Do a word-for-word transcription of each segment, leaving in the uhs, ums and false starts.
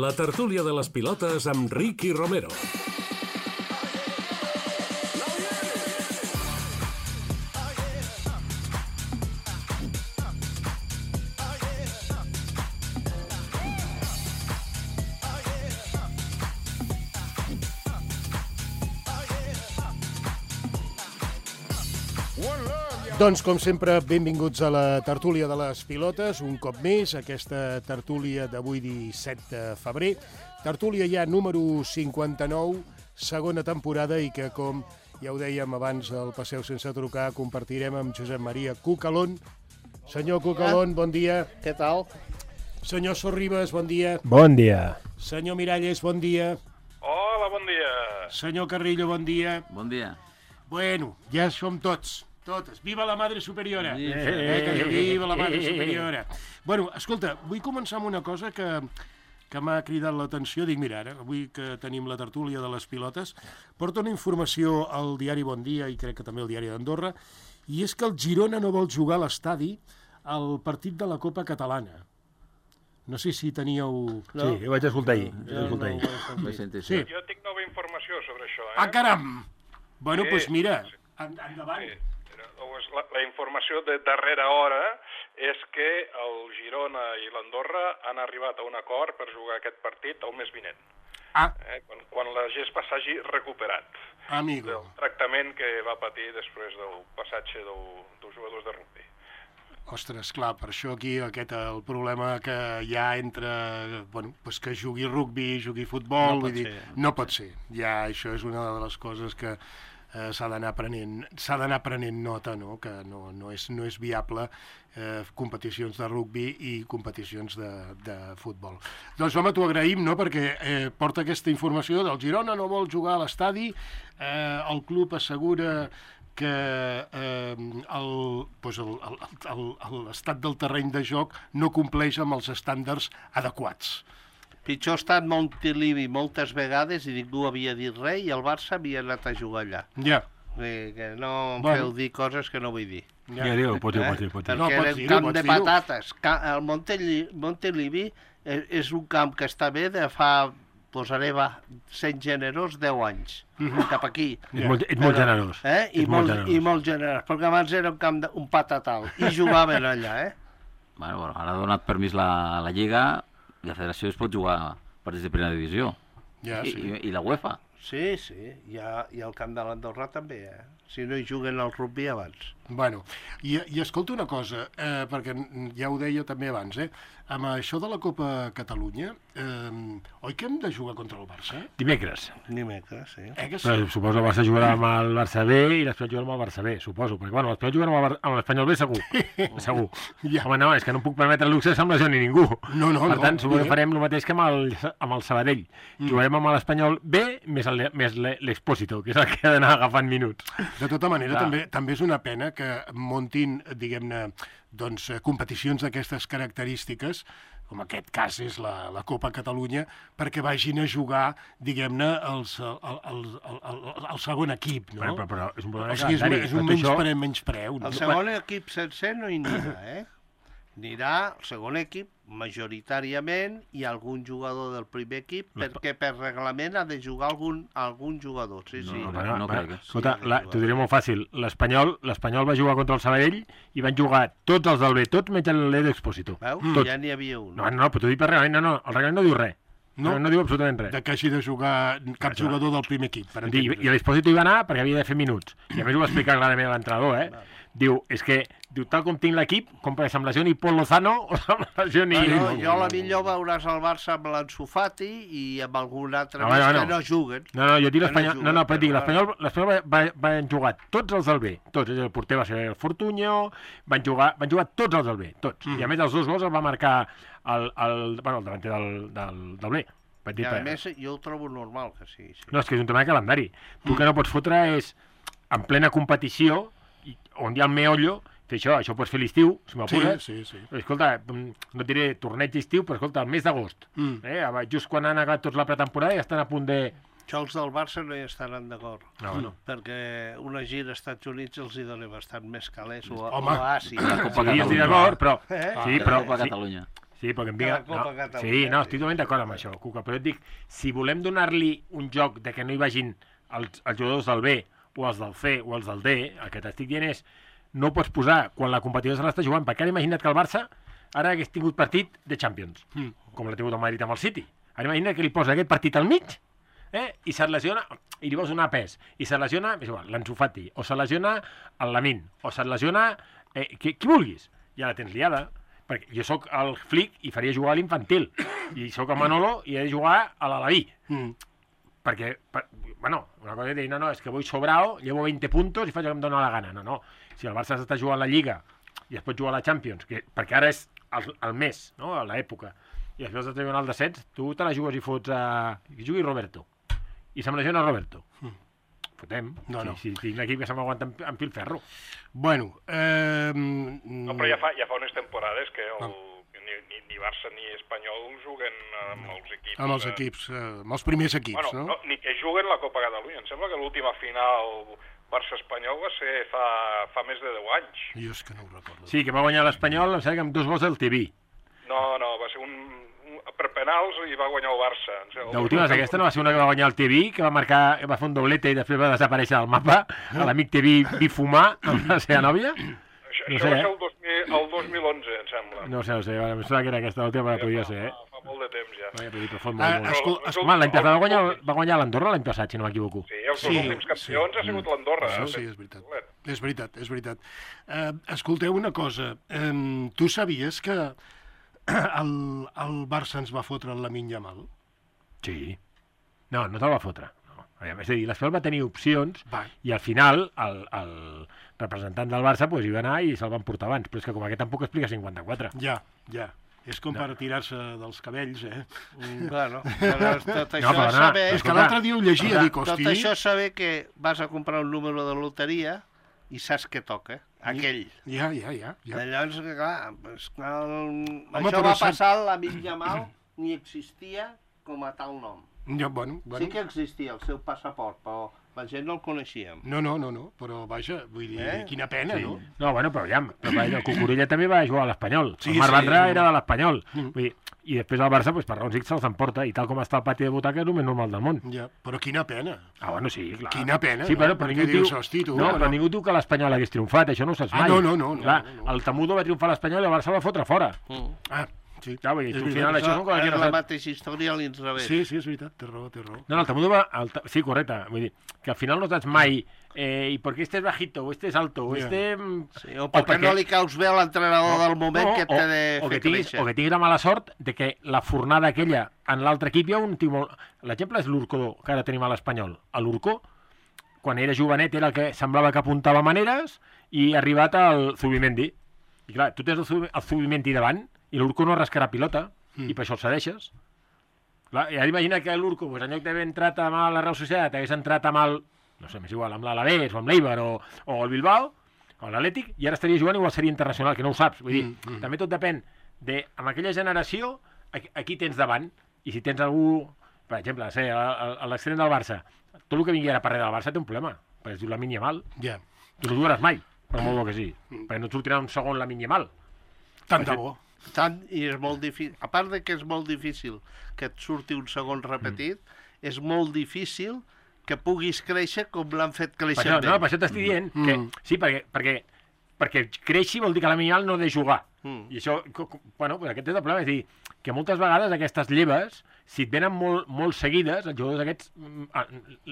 La tertúlia de les pilotes amb Ricky Romero. Doncs, com sempre, benvinguts a la tertúlia de les pilotes, un cop més, aquesta tertúlia d'avui disset de febrer. Tertúlia ja número cinquanta-nou, segona temporada, i que, com ja ho dèiem abans al Passeu sense trucar, compartirem amb Josep Maria Cucalón. Senyor Cucalón, bon dia. Què tal? Senyor Sorribes, bon dia. Bon dia. Senyor Miralles, bon dia. Hola, bon dia. Senyor Carrillo, bon dia. Bon dia. Bueno, ja som tots. Totes. Viva la Madre Superiora! Sí. Eh, que viva la Madre Superiora! Bueno, escolta, vull començar amb una cosa que, que m'ha cridat l'atenció. Dic, mira, ara, avui que tenim la tertúlia de les pilotes, porta una informació al diari Bon Dia, i crec que també al diari d'Andorra, i és que el Girona no vol jugar a l'estadi al partit de la Copa Catalana. No sé si teníeu... No. Sí, ho vaig escoltar ahir. Jo no, escoltar ahir. no Sí. sí. Jo tinc nova informació sobre això, eh? Ah, caram! Bueno, doncs Sí, pues mira, sí. en, endavant. Sí. La, la informació de darrera hora és que el Girona i l'Andorra han arribat a un acord per jugar aquest partit el mes vinent, Ah, eh? quan, quan la gespa s'hagi recuperat amigo. del tractament que va patir després del passatge del, dels jugadors de rugby. Ostres, clar, per això aquí aquest el problema que hi ha entre, bueno, pues que jugui rugbi, jugui futbol, No pot vull dir, ser, no pot ser. Ja això és una de les coses que eh, s'ha d'anar prenent, s'ha d'anar prenent nota, no? Que no, no, és, no és viable eh, competicions de rugbi i competicions de, de futbol. Doncs home, t'ho agraïm, no?, perquè eh, porta aquesta informació del Girona no vol jugar a l'estadi, eh, el club assegura que eh, l'estat del terreny de joc no compleix amb els estàndards adequats. Pitjor ha estat Montilivi moltes vegades i ningú havia dit res i el Barça havia anat a jugar allà. Ja. Que, que no em Bueno. feu dir coses que no vull dir. ja. Ja, diu, pots dir, pots dir, pots dir. Perquè No, pots era un dir-ho, camp pots de dir-ho. patates. Ca- El Monteli- Montilivi és, és un camp que està bé de fa, posaré, va, sent generós, deu anys. Cap aquí. Ets molt, ets molt Però- generós. Eh? I, Ets molt, generós. I molt generós, perquè abans era un camp de, un patatal. I jugaven allà, eh? Bueno, bueno, ara ha donat permís la, la Lliga i la Federació es pot jugar partits de primera divisió. Ja, I, sí. i, I la UEFA. Sí, sí. I, ha, i el camp de l'Andorra també, eh? Si no hi juguen al rugby abans. Bueno, i, i escolta una cosa, eh, perquè ja ho deia també abans, eh? Amb això de la Copa Catalunya, eh, oi que hem de jugar contra el Barça? Dimecres. Dimecres, sí. Eh que sí? Però suposo el Barça jugarà amb el Barça B i l'Espanyol jugarà amb el Barça B, suposo. Perquè, bueno, l'Espanyol jugarà amb el Bar- amb l'Espanyol B segur. Segur. Ja. Home, no, és que no em puc permetre el luxe de semblar ni ningú. No, no, per no, tant, suposo bé. que farem el mateix que amb el, amb el Sabadell. Mm. Jugarem amb l'Espanyol B més el- més l'E- l'Expósito, que és el que ha d'anar agafant minuts. De tota manera, Clar. també, també és una pena que muntin, diguem-ne, doncs, eh, competicions d'aquestes característiques, com aquest cas és la, la Copa Catalunya, perquè vagin a jugar, diguem-ne, els- el, el, el, el, el segon equip, no? Però, però, però és un problema O sigui, és, un- calendari. és un Tot això- menyspreu, menyspreu. No? El segon equip sencer no hi anirà, eh? Anirà el segon equip majoritàriament i algun jugador del primer equip, perquè per reglament ha de jugar algun, algun jugador, sí, sí. No, Bueno, no bueno, crec. escolta, Sí, la, sí, t'ho diré molt fàcil. L'Espanyol l'Espanyol va jugar contra el Sabadell i van jugar tots els del B, tots menys l'Edo Expósito. Veus? Tots. Ja n'hi havia un. No, no, però t'ho dic per reglament, no, no, el reglament no diu res. No? No, no diu absolutament res. De que hagi de jugar cap Clar. jugador del primer equip, per I, entendre's. I l'Expósito hi va anar perquè havia de fer minuts. I a més ho va explicar clarament l'entrenador, eh? Diu, és que, diu, tal com tinc l'equip, com per amb lesió ni Pol Lozano o amb lesió ni... Bueno, no, jo a la no, millor veuràs el Barça amb l'Ansu Fati i amb algun altre No, més no, que no. no juguen. No, no, jo dic Que no l'Espanyol... juguen, No, no, però dic, però l'Espanyol l'Espanyol va, va, van jugar tots els del B, tots. El porter va ser el Fortunyo, van jugar, van jugar tots els del B, tots. Mm. I a més els dos gols els va marcar el, el, bueno, el davanter del, del, del B. Vaig dir, I a per- més jo ho trobo normal que sí. sí. No, és que és un tema de calendari. Tu el que no pots fotre és, en plena competició, i- on hi ha el meollo, fer això, això ho pots fer a l'estiu, si Sí, m'apures. sí, sí. Però, escolta, mm, no et diré torneig d'estiu, però escolta, el mes d'agost, Mm. eh, just quan han acabat tots la pretemporada i estan a punt de... Això els del Barça no hi estaran d'acord. No, no. Perquè una gira als Estats Units els hi dona bastant més calés o, a- Home. o a Àsia. La Copa Sí, jo estic Catalunya. d'acord, però... Eh? Sí, La però... Copa Sí, Catalunya. Sí, perquè em que diga... la Copa no, Catalunya. sí, no, estic totalment d'acord amb això, Cuca, però et dic, si volem donar-li un joc de que no hi vagin els, els jugadors del B o els del C o els del D, el que t'estic dient és no ho pots posar quan la competició se l'està jugant, perquè ara imagina't que el Barça ara hagués tingut partit de Champions, mm. com l'ha tingut el Madrid amb el City. Ara imagina't que li posa aquest partit al mig, eh? I se't lesiona, i li vols donar pes, i se't lesiona, és igual, l'Ansu Fati, o se't lesiona el Lamine, o se't lesiona eh, qui, qui vulguis, ja la tens liada. Perquè jo sóc el Flick i faria jugar a l'infantil, i sóc el Manolo i he de jugar a l'Alaví. Mm. Perquè, per, bueno, una cosa és dir, no, no, és que vull sobrao, llevo veinte puntos i faig el que em dóna la gana. No, no, si el Barça està jugant la Lliga i es pot jugar a la Champions, que, perquè ara és el, el mes, no?, a l'època, i després està jugant al descens, tu te la jugues i fots a... que jugui Roberto. I se'm lesiona Roberto. Mm. Fotem. No, no. Si, si tinc un equip que se m'aguanta amb, amb filferro. Bueno, eh... No, però ja fa, ja fa unes temporades que el, no. ni, ni, ni Barça ni Espanyol juguen amb no. els equips... Amb els equips, eh, amb els primers equips, bueno, no? no? Ni que juguen la Copa Catalunya. Em sembla que l'última final Barça-Espanyol va ser fa, fa més de deu anys. Jo és que no ho recordo. Sí, que va guanyar l'Espanyol, em sembla que amb dos gols del T V. No, no, va ser un... per penals i va guanyar el Barça. L'última, aquesta no va ser una que va guanyar el T V, que va marcar, va fer un doblete i després va desaparèixer del mapa, a l'amic T V bifumar amb la seva nòvia? Això, no això sé, va eh? ser el, dos mil, el dos mil onze, em sembla. No sé, no sé, em sembla que era aquesta l'última, ja, podria fa, ser, eh? Fa, fa molt de temps, ja. Vaja, però fot molt, molt. Escol, escol, Home, l'any passat va guanyar, va guanyar l'Andorra l'any passat, si no m'equivoco. Sí, els dos sí, últims campions sí. ha sigut l'Andorra. Això sí, és veritat. És veritat, és veritat. Uh, escolteu una cosa, um, tu sabies que el, el Barça ens va fotre el Lamine Yamal? Sí. No, no te'l va fotre. No. És a dir, l'Espanyol va tenir opcions va. I al final el, el representant del Barça pues, hi va anar i se'l van portar abans. Però és que com aquest tampoc explica cinquanta-quatre. Ja, ja. És com no. per tirar-se dels cabells, eh? Mm, bueno, però tot això no, però no, saber... És que l'altre dia ho llegia, dic, hosti... Tot això saber que vas a comprar un número de loteria i saps què toca, aquell. Ja, ja, ja. ja. Llavors, clar, pues, clar el... Home, això va passar a l'amic Yamal, ni existia com a tal nom. Ja, bueno, bueno. Sí que existia el seu passaport, però la gent no el coneixíem. No, no, no, no, però vaja, vull dir, eh? quina pena, sí. no? No, bueno, però ja, però vaja, el Cucurella també va jugar a l'Espanyol. Sí, el Marc sí, Vandrà sí. era de l'Espanyol. Mm. Vull dir, i després el Barça, pues, per raons X, se'ls emporta, i tal com està el pati de butaca és el més normal del món. Ja, però quina pena. Ah, bueno, sí, clar. Quina pena, sí, però, no? però Perquè ningú dius, diu... hosti, tu... No, no. però ningú diu que l'Espanyol hagués triomfat, això no ho saps mai. Ah, no, no, no. Clar, no, no. el Temudo va triomfar a l'Espanyol i el Barça va fotre fora. Mm. Ah, sí. Ja, vull dir, És al veritat. final això són coses que És no la saps. mateixa història a l'inrevés. Sí, sí, és veritat, té raó, té raó. No, no, el Temudo va... El, sí, correcte. Vull dir, que al final no saps mai eh, i per què este és bajito, o este és alto, o Yeah. Sí, este... o per què perquè... no li caus bé a l'entrenador del moment no, que té de o, o fer que tinguis, créixer. o que tinguis la mala sort de que la fornada aquella en l'altre equip hi ha un tio molt... L'exemple és l'Urco, que ara tenim a l'Espanyol. A l'Urco, quan era jovenet, era el que semblava que apuntava maneres i ha arribat al Zubimendi. I clar, tu tens el, Zubi, el Zubimendi davant i l'Urco no rascarà pilota, mm. i per això el cedeixes. Clar, i ara imagina que l'Urco, pues, en lloc d'haver entrat amb la Real Societat, hagués entrat amb el... no sé, m'és igual, amb l'Alavés o amb l'Eibar o, o el Bilbao, o l'Atlètic, i ara estaria jugant igual seria internacional, que no ho saps. Vull dir, mm, mm. també tot depèn de, amb aquella generació, a, a qui tens davant, i si tens algú, per exemple, sé, a, a, a l'extrem del Barça, tot el que vingui ara per darrere del Barça té un problema, perquè es diu Lamine Yamal. Ja. Tu no jugaràs mai, per molt bo que sí, mm. perquè no et sortirà un segon Lamine Yamal. Tant de bo. Tant, i és molt difícil, a part de que és molt difícil que et surti un segon repetit, mm. és molt difícil que puguis créixer com l'han fet créixer per això, bé. no, per això t'estic dient mm. que sí, perquè, perquè, perquè creixi vol dir que Lamine Yamal no ha de jugar. Mm. I això, bueno, pues aquest és el problema, és dir, que moltes vegades aquestes lleves, si et venen molt, molt seguides, els jugadors aquests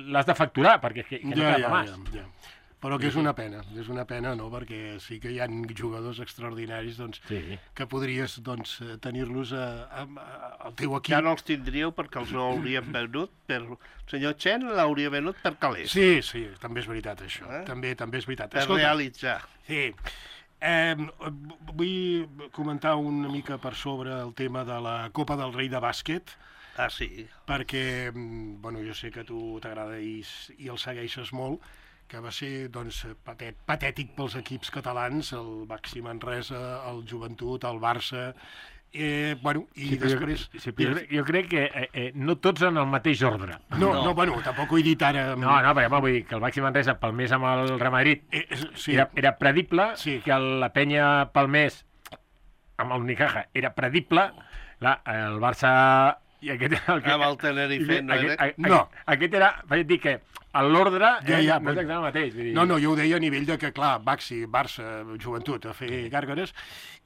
l'has de facturar, perquè que, que no ja, queda ja, més. ja, ja. Però que és una pena, és una pena, no?, perquè sí que hi ha jugadors extraordinaris, doncs, sí. que podries, doncs, tenir-los al teu equip. Ja no els tindríeu perquè els hauríem venut per... El senyor Chen l'hauria venut per calés. Sí, sí, també és veritat, això. Eh? També també és veritat. Per Escolta, realitzar. Sí. Eh, vull comentar una mica per sobre el tema de la Copa del Rei de bàsquet, Ah, sí. perquè, bueno, jo sé que a tu t'agrada i, i el segueixes molt, que va ser, doncs, patèt, patètic pels equips catalans, el Baxi Manresa, el Joventut, el Barça, eh, bueno, i sí, després... Jo, sí, jo, jo crec que eh, eh, no tots en el mateix ordre. No, no, no, bueno, tampoc ho he dit ara... No, no, perquè home, vull dir que el Baxi Manresa palmés amb el Real Madrid eh, sí. era, era predible, Sí. que la penya palmés amb l'Unicaja era predible, clar, el Barça... I aquest, el que, Amb el Tenerife, no aquest, era? aquest, No. Aquest era, vaig dir que l'ordre Ja, ja, no és exactament el mateix. Vull dir... No, no, jo ho deia a nivell de que, clar, Baxi, Barça, Joventut, a fer gàrgares,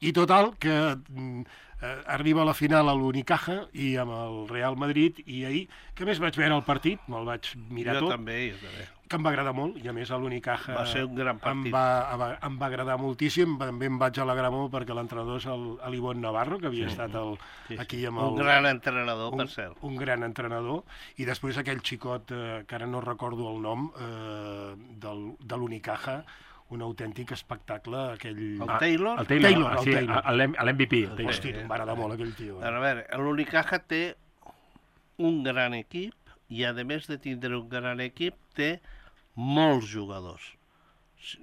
i total, que mm, eh, arriba a la final a l'Unicaja i amb el Real Madrid, i ahir, que més vaig veure el partit, me'l vaig mirar Jo tot, també, jo també. que em va agradar molt, i a més a l'Unicaja Va ser un gran em partit. va, em va agradar moltíssim, també em vaig alegrar molt perquè l'entrenador és el- l'Ivonne Navarro, que havia estat el, Sí, sí. aquí amb el... Un gran entrenador, un, per cert. un gran entrenador, i després aquell xicot, eh, que ara no recordo el nom, eh, del, de l'Unicaja, un autèntic espectacle, aquell... El Taylor? El Taylor, Taylor, el sí, Taylor. l'M V P. el Taylor. Hosti, em va agradar molt aquell tio. A veure, l'Unicaja té un gran equip i, a més de tindre un gran equip, té molts jugadors.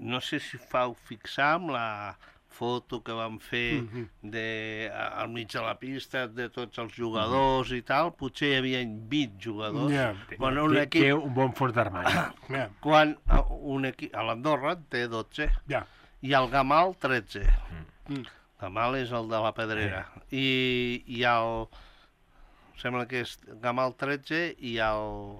No sé si fau fixar amb la foto que vam fer Mhm. de, al mig de la pista de tots els jugadors i tal, potser hi havia vint jugadors. Ja. Quan un Té, equip, té un bon fons d'armari. Ja, quan eh, un equip, a l'Andorra té dotze ja. i el Gamal tretze. Mm. Gamal és el de la Pedrera. I, i el... Sembla que és Gamal tretze i el,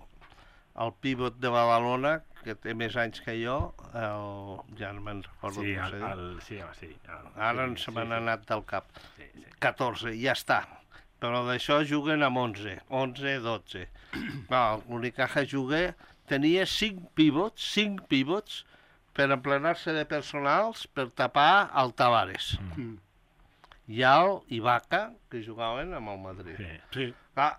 el pivot de Badalona, que té més anys que jo, el, ja no me'n recordo Sí, com el, se diu. el, sí, home, sí. El, Ara sí, se m'han sí, anat del cap. Sí, sí. catorze, ja està. Però d'això juguen amb onze, onze, dotze. No, l'Unicaja juga, tenia cinc pivots, cinc pivots, per emplenar-se de personals per tapar el Tavares. Mm. I el Ibaka, que jugaven amb el Madrid. Sí. Sí. Clar,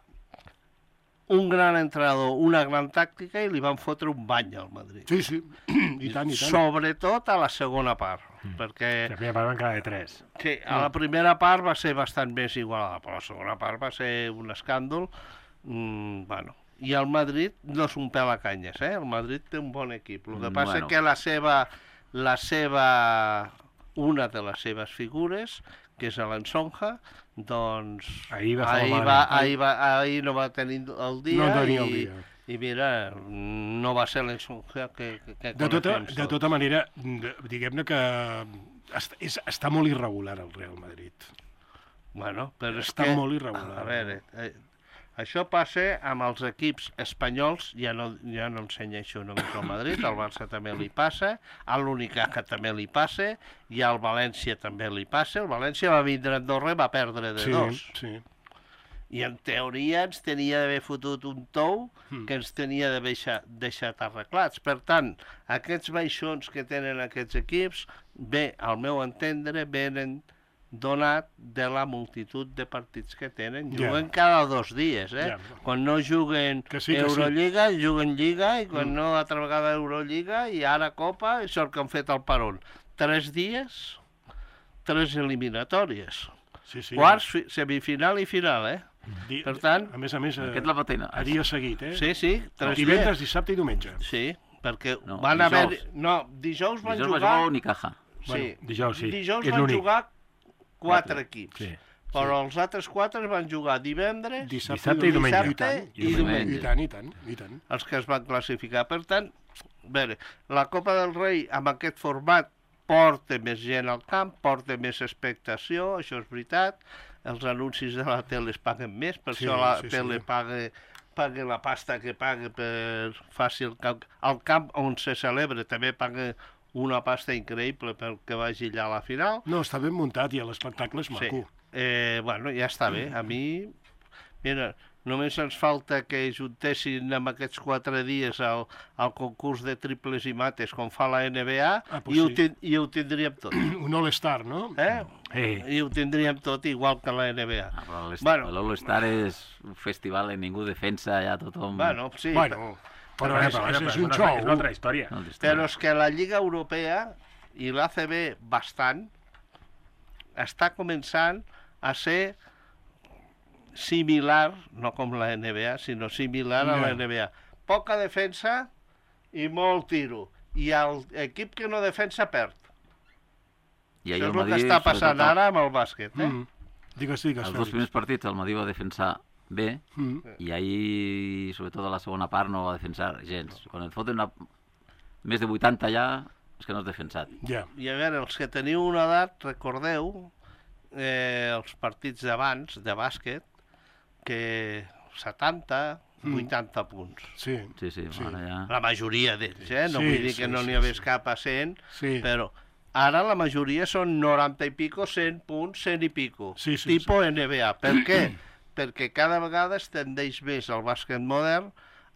un gran entrenador, una gran tàctica, i li van fotre un bany al Madrid. Sí, sí, i tant, i tant. Sobretot a la segona part, perquè La primera part van quedar de tres. sí, a la primera part va ser bastant més igualada, però la segona part va ser un escàndol. Mm, bueno, i el Madrid no és un pèl a canyes, eh? El Madrid té un bon equip. El que Mm, passa bueno. és que la seva, la seva, una de les seves figures, que és l'Ensonja, doncs Ahir va fer ahir, malament. va, ahir, va, ahir no va tenir el dia, No tenia el i, dia. i mira, no va ser l'Ensonja que, que, que De tota, coneixem de tots. tota manera, de- diguem-ne que està, és, està molt irregular el Real Madrid. Bueno, però és Està que, molt irregular. A veure, eh, això passa amb els equips espanyols, ja no, ja no ensenyeixo només al Madrid, al Barça també li passa, a l'Unicaja també li passa, i al València també li passa. El València va vindre a Andorra i va perdre de Sí, dos. sí. I en teoria ens tenia d'haver fotut un tou Mm. que ens tenia d'haver deixat, deixat arreglats. Per tant, aquests baixons que tenen aquests equips, bé, al meu entendre, venen donat de la multitud de partits que tenen. Ja. Juguen cada dos dies, eh? Ja. Quan no juguen Que sí, que sí. Eurolliga, juguen Lliga, i quan Mm. no, altra vegada Eurolliga, i ara Copa, i sort que han fet el peron. Tres dies, tres eliminatòries. Sí, sí. Quarts, fi- semifinal i final, eh? Di- per tant- a més a més, Aquest a, la patena. a dia seguit, eh? Sí, sí, tres Divendres, dies. dissabte i diumenge. Sí, perquè No, van dijous. haver... No, dijous van Dijous va jugar... jugar Unicaja. Sí, Bueno, dijous sí, dijous és van l'únic. jugar quatre Quatre. equips. Sí. Però els altres quatre van jugar divendres, Dissabte, Dissabte i diumenge. I tant, i diumenge. I tant, i tant, i tant. els que es van classificar. Per tant, a veure, la Copa del Rei amb aquest format porta més gent al camp, porta més expectació, això és veritat. Els anuncis de la tele es paguen més, per Sí, això la sí, sí. tele paga, paga la pasta que paga per faci el camp. El camp on se celebra també paga una pasta increïble perquè vagi allà a la final. No, està ben muntat i l'espectacle és maco. Sí. Eh, bueno, ja està bé. A mi, mira, només ens falta que juntessin amb aquests quatre dies el, el concurs de triples i mates com fa la N B A, Ah, pues i, ho sí. ten, i ho tindríem tot. Un all-star, no? Eh? Eh, I ho tindríem tot igual que la N B A. Ah, però l'All- Bueno. l'All-Star és un festival en ningú defensa, ja tothom... Bueno, sí, Bueno, però és, és, és un una, xou. és una altra història. No, però és que la Lliga Europea i l'A C B bastant està començant a ser similar, no com la N B A, sinó similar a la Ja. N B A. Poca defensa i molt tiro. I l'equip que no defensa perd. I Això ahir és el el que Madrid, està passant sobretot, ara amb el bàsquet. Eh? Mm. Digues, digues, Els dos Fèlix. primers partits el Madrid va defensar bé, Mm. i ahir, sobretot a la segona part, no va defensar gens. Quan et foten una... més de vuitanta ja, és que no has defensat. Ja. I a veure, els que teniu una edat, recordeu, eh, els partits d'abans, de bàsquet, que setanta, vuitanta punts. Sí, Sí, sí, Sí. ara ja... La majoria d'ells, eh? No Sí, vull dir sí, que no sí, n'hi hagués sí. cap a cent, sí. però ara la majoria són noranta i pico, cent punts, cent i pico. Sí, sí, tipo N B A. Per què? Perquè cada vegada es tendeix més al bàsquet modern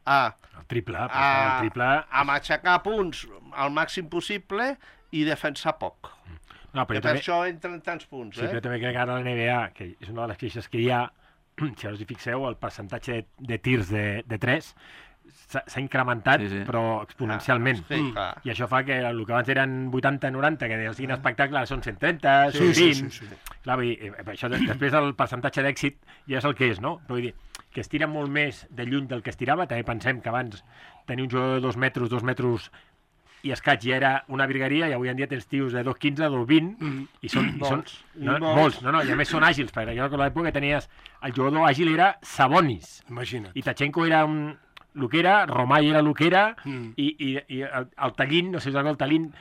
a, El triple, a, passar el triple... a matxacar punts al màxim possible i defensar poc. No, però Que jo per també, això entren tants punts, sí, eh? però també crec que ara la N B A, que és una de les queixes que hi ha, si ara us hi fixeu, el percentatge de, de tirs de, de tres s'ha s'ha incrementat, Sí, sí. però exponencialment. Ah, sí, clar. I això fa que el que abans eren vuitanta noranta, que siguin espectacles, són cent trenta, Sí, cent sí, vint... sí, sí. Clar, vull dir, eh, això, de- després el percentatge d'èxit ja és el que és, no? Però vull dir, que es tira molt més de lluny del que es tirava. També pensem que abans tenir un jugador de dos metres, dos metres i escaig ja era una virgueria, i avui en dia tens tios de dos quinze, dos vint, i són... I són Molts. no, I molts. molts, no, no, i a més són àgils, perquè jo recordo l'època que tenies... El jugador àgil era Sabonis, Imagina't. i Tachenko era un... el que era, Romay era el que era, Mm. i, i, i el, el Tallín, no sé si us recordo, el Tallín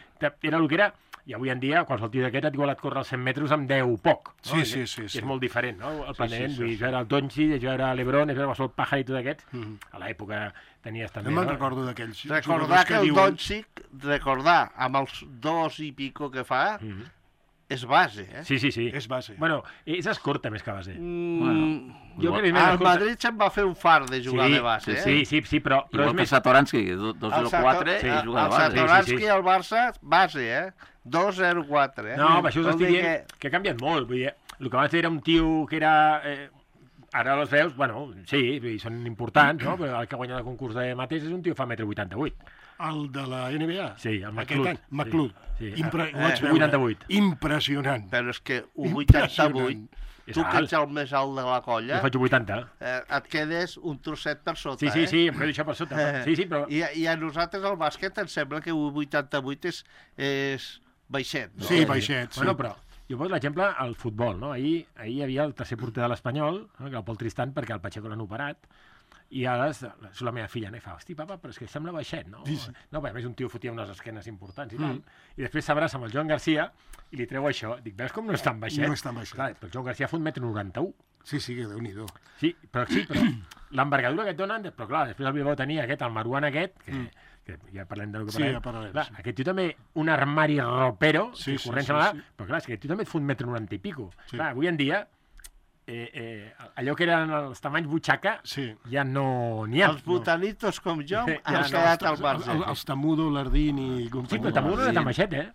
era el que era, i avui en dia qualsevol tio d'aquest et igual et corre els cent metres amb deu poc. No? Sí, I- sí, sí, i sí. és molt diferent, no? El plantejament, sí, vull dir, sí. jo era el Doncic, jo era l'Ebron, jo era el Paja i tot aquests, Mhm. a l'època tenies també... No me'n no? recordo d'aquells Recordar jugadors que el diuen... Doncic, recordar amb els dos i pico que fa, Mhm. és base, eh? Sí, sí, sí. És base. Bueno, és escorta més que base. Mm, Bueno, jo igual- crec que és més al escorta. Madrid se'n va fer un far de jugar sí, de base, sí, eh? sí, sí, sí, però, però Igual és que més... Satoransky, que dos zero quatre, sí, i juga el de base. Satoransky Sí, sí, sí. al Barça, base, eh? dos zero quatre, eh? No, per això us Vol estic dir dient que... que ha canviat molt. Vull dir, el que abans era un tio que era... Eh, ara els veus, bueno, sí, vull dir, són importants, no? Però el que guanya el concurs de mates és un tio que fa un metro vuitanta-vuit. El de la N B A? Sí, el Aquest McLeod. any, McLeod. Sí, sí. Impre... Eh, ho vaig veure. vuitanta-vuit. Impressionant. Però és que un vuitanta-vuit, És tu que alt. ets el més alt de la colla, Jo faig un vuitanta. eh, et quedes un trosset per sota, Sí, sí, eh? sí, em quedo això per sota. Sí, sí, però... I, I a nosaltres al bàsquet ens sembla que un vuitanta-vuit és, és baixet, no? Sí, baixet, sí. Bueno, però jo poso l'exemple al futbol, no? Ahir, ahir hi havia el tercer porter de l'Espanyol, no? Que era el Pol Tristan, perquè el Pacheco l'han operat, i ara és, és la meva filla, no? I fa, hosti, papa, però és que sembla baixet, no? Sí, sí. No, perquè a més un tio fotia unes esquenes importants i tal, i després s'abraça amb el Joan Garcia i li treu això. Dic, veus com no és tan baixet? No és tan baixet. Clar, però el Joan Garcia fa un metre noranta-un. Sí, sí, que Déu-n'hi-do. Sí, però sí, però l'envergadura que et donen, però clar, després el Bilbao tenia aquest, el Maruan aquest, que, que ja parlem del que Sí, parlem. ja parlarem, Clar, sí. aquest tio també, un armari ropero, Sí, que sí, corrent sí, se sí. però clar, és que aquest tio també et fa un metre noranta i pico. Sí. Clar, avui en dia, eh, eh, allò que eren els tamanys butxaca, Sí. ja no n'hi ha. Els botanitos com jo Sí, han ja no, quedat al Els, marge. els Tamudo, l'Ardini i Sí, companyia. però també no era tan baixet, eh?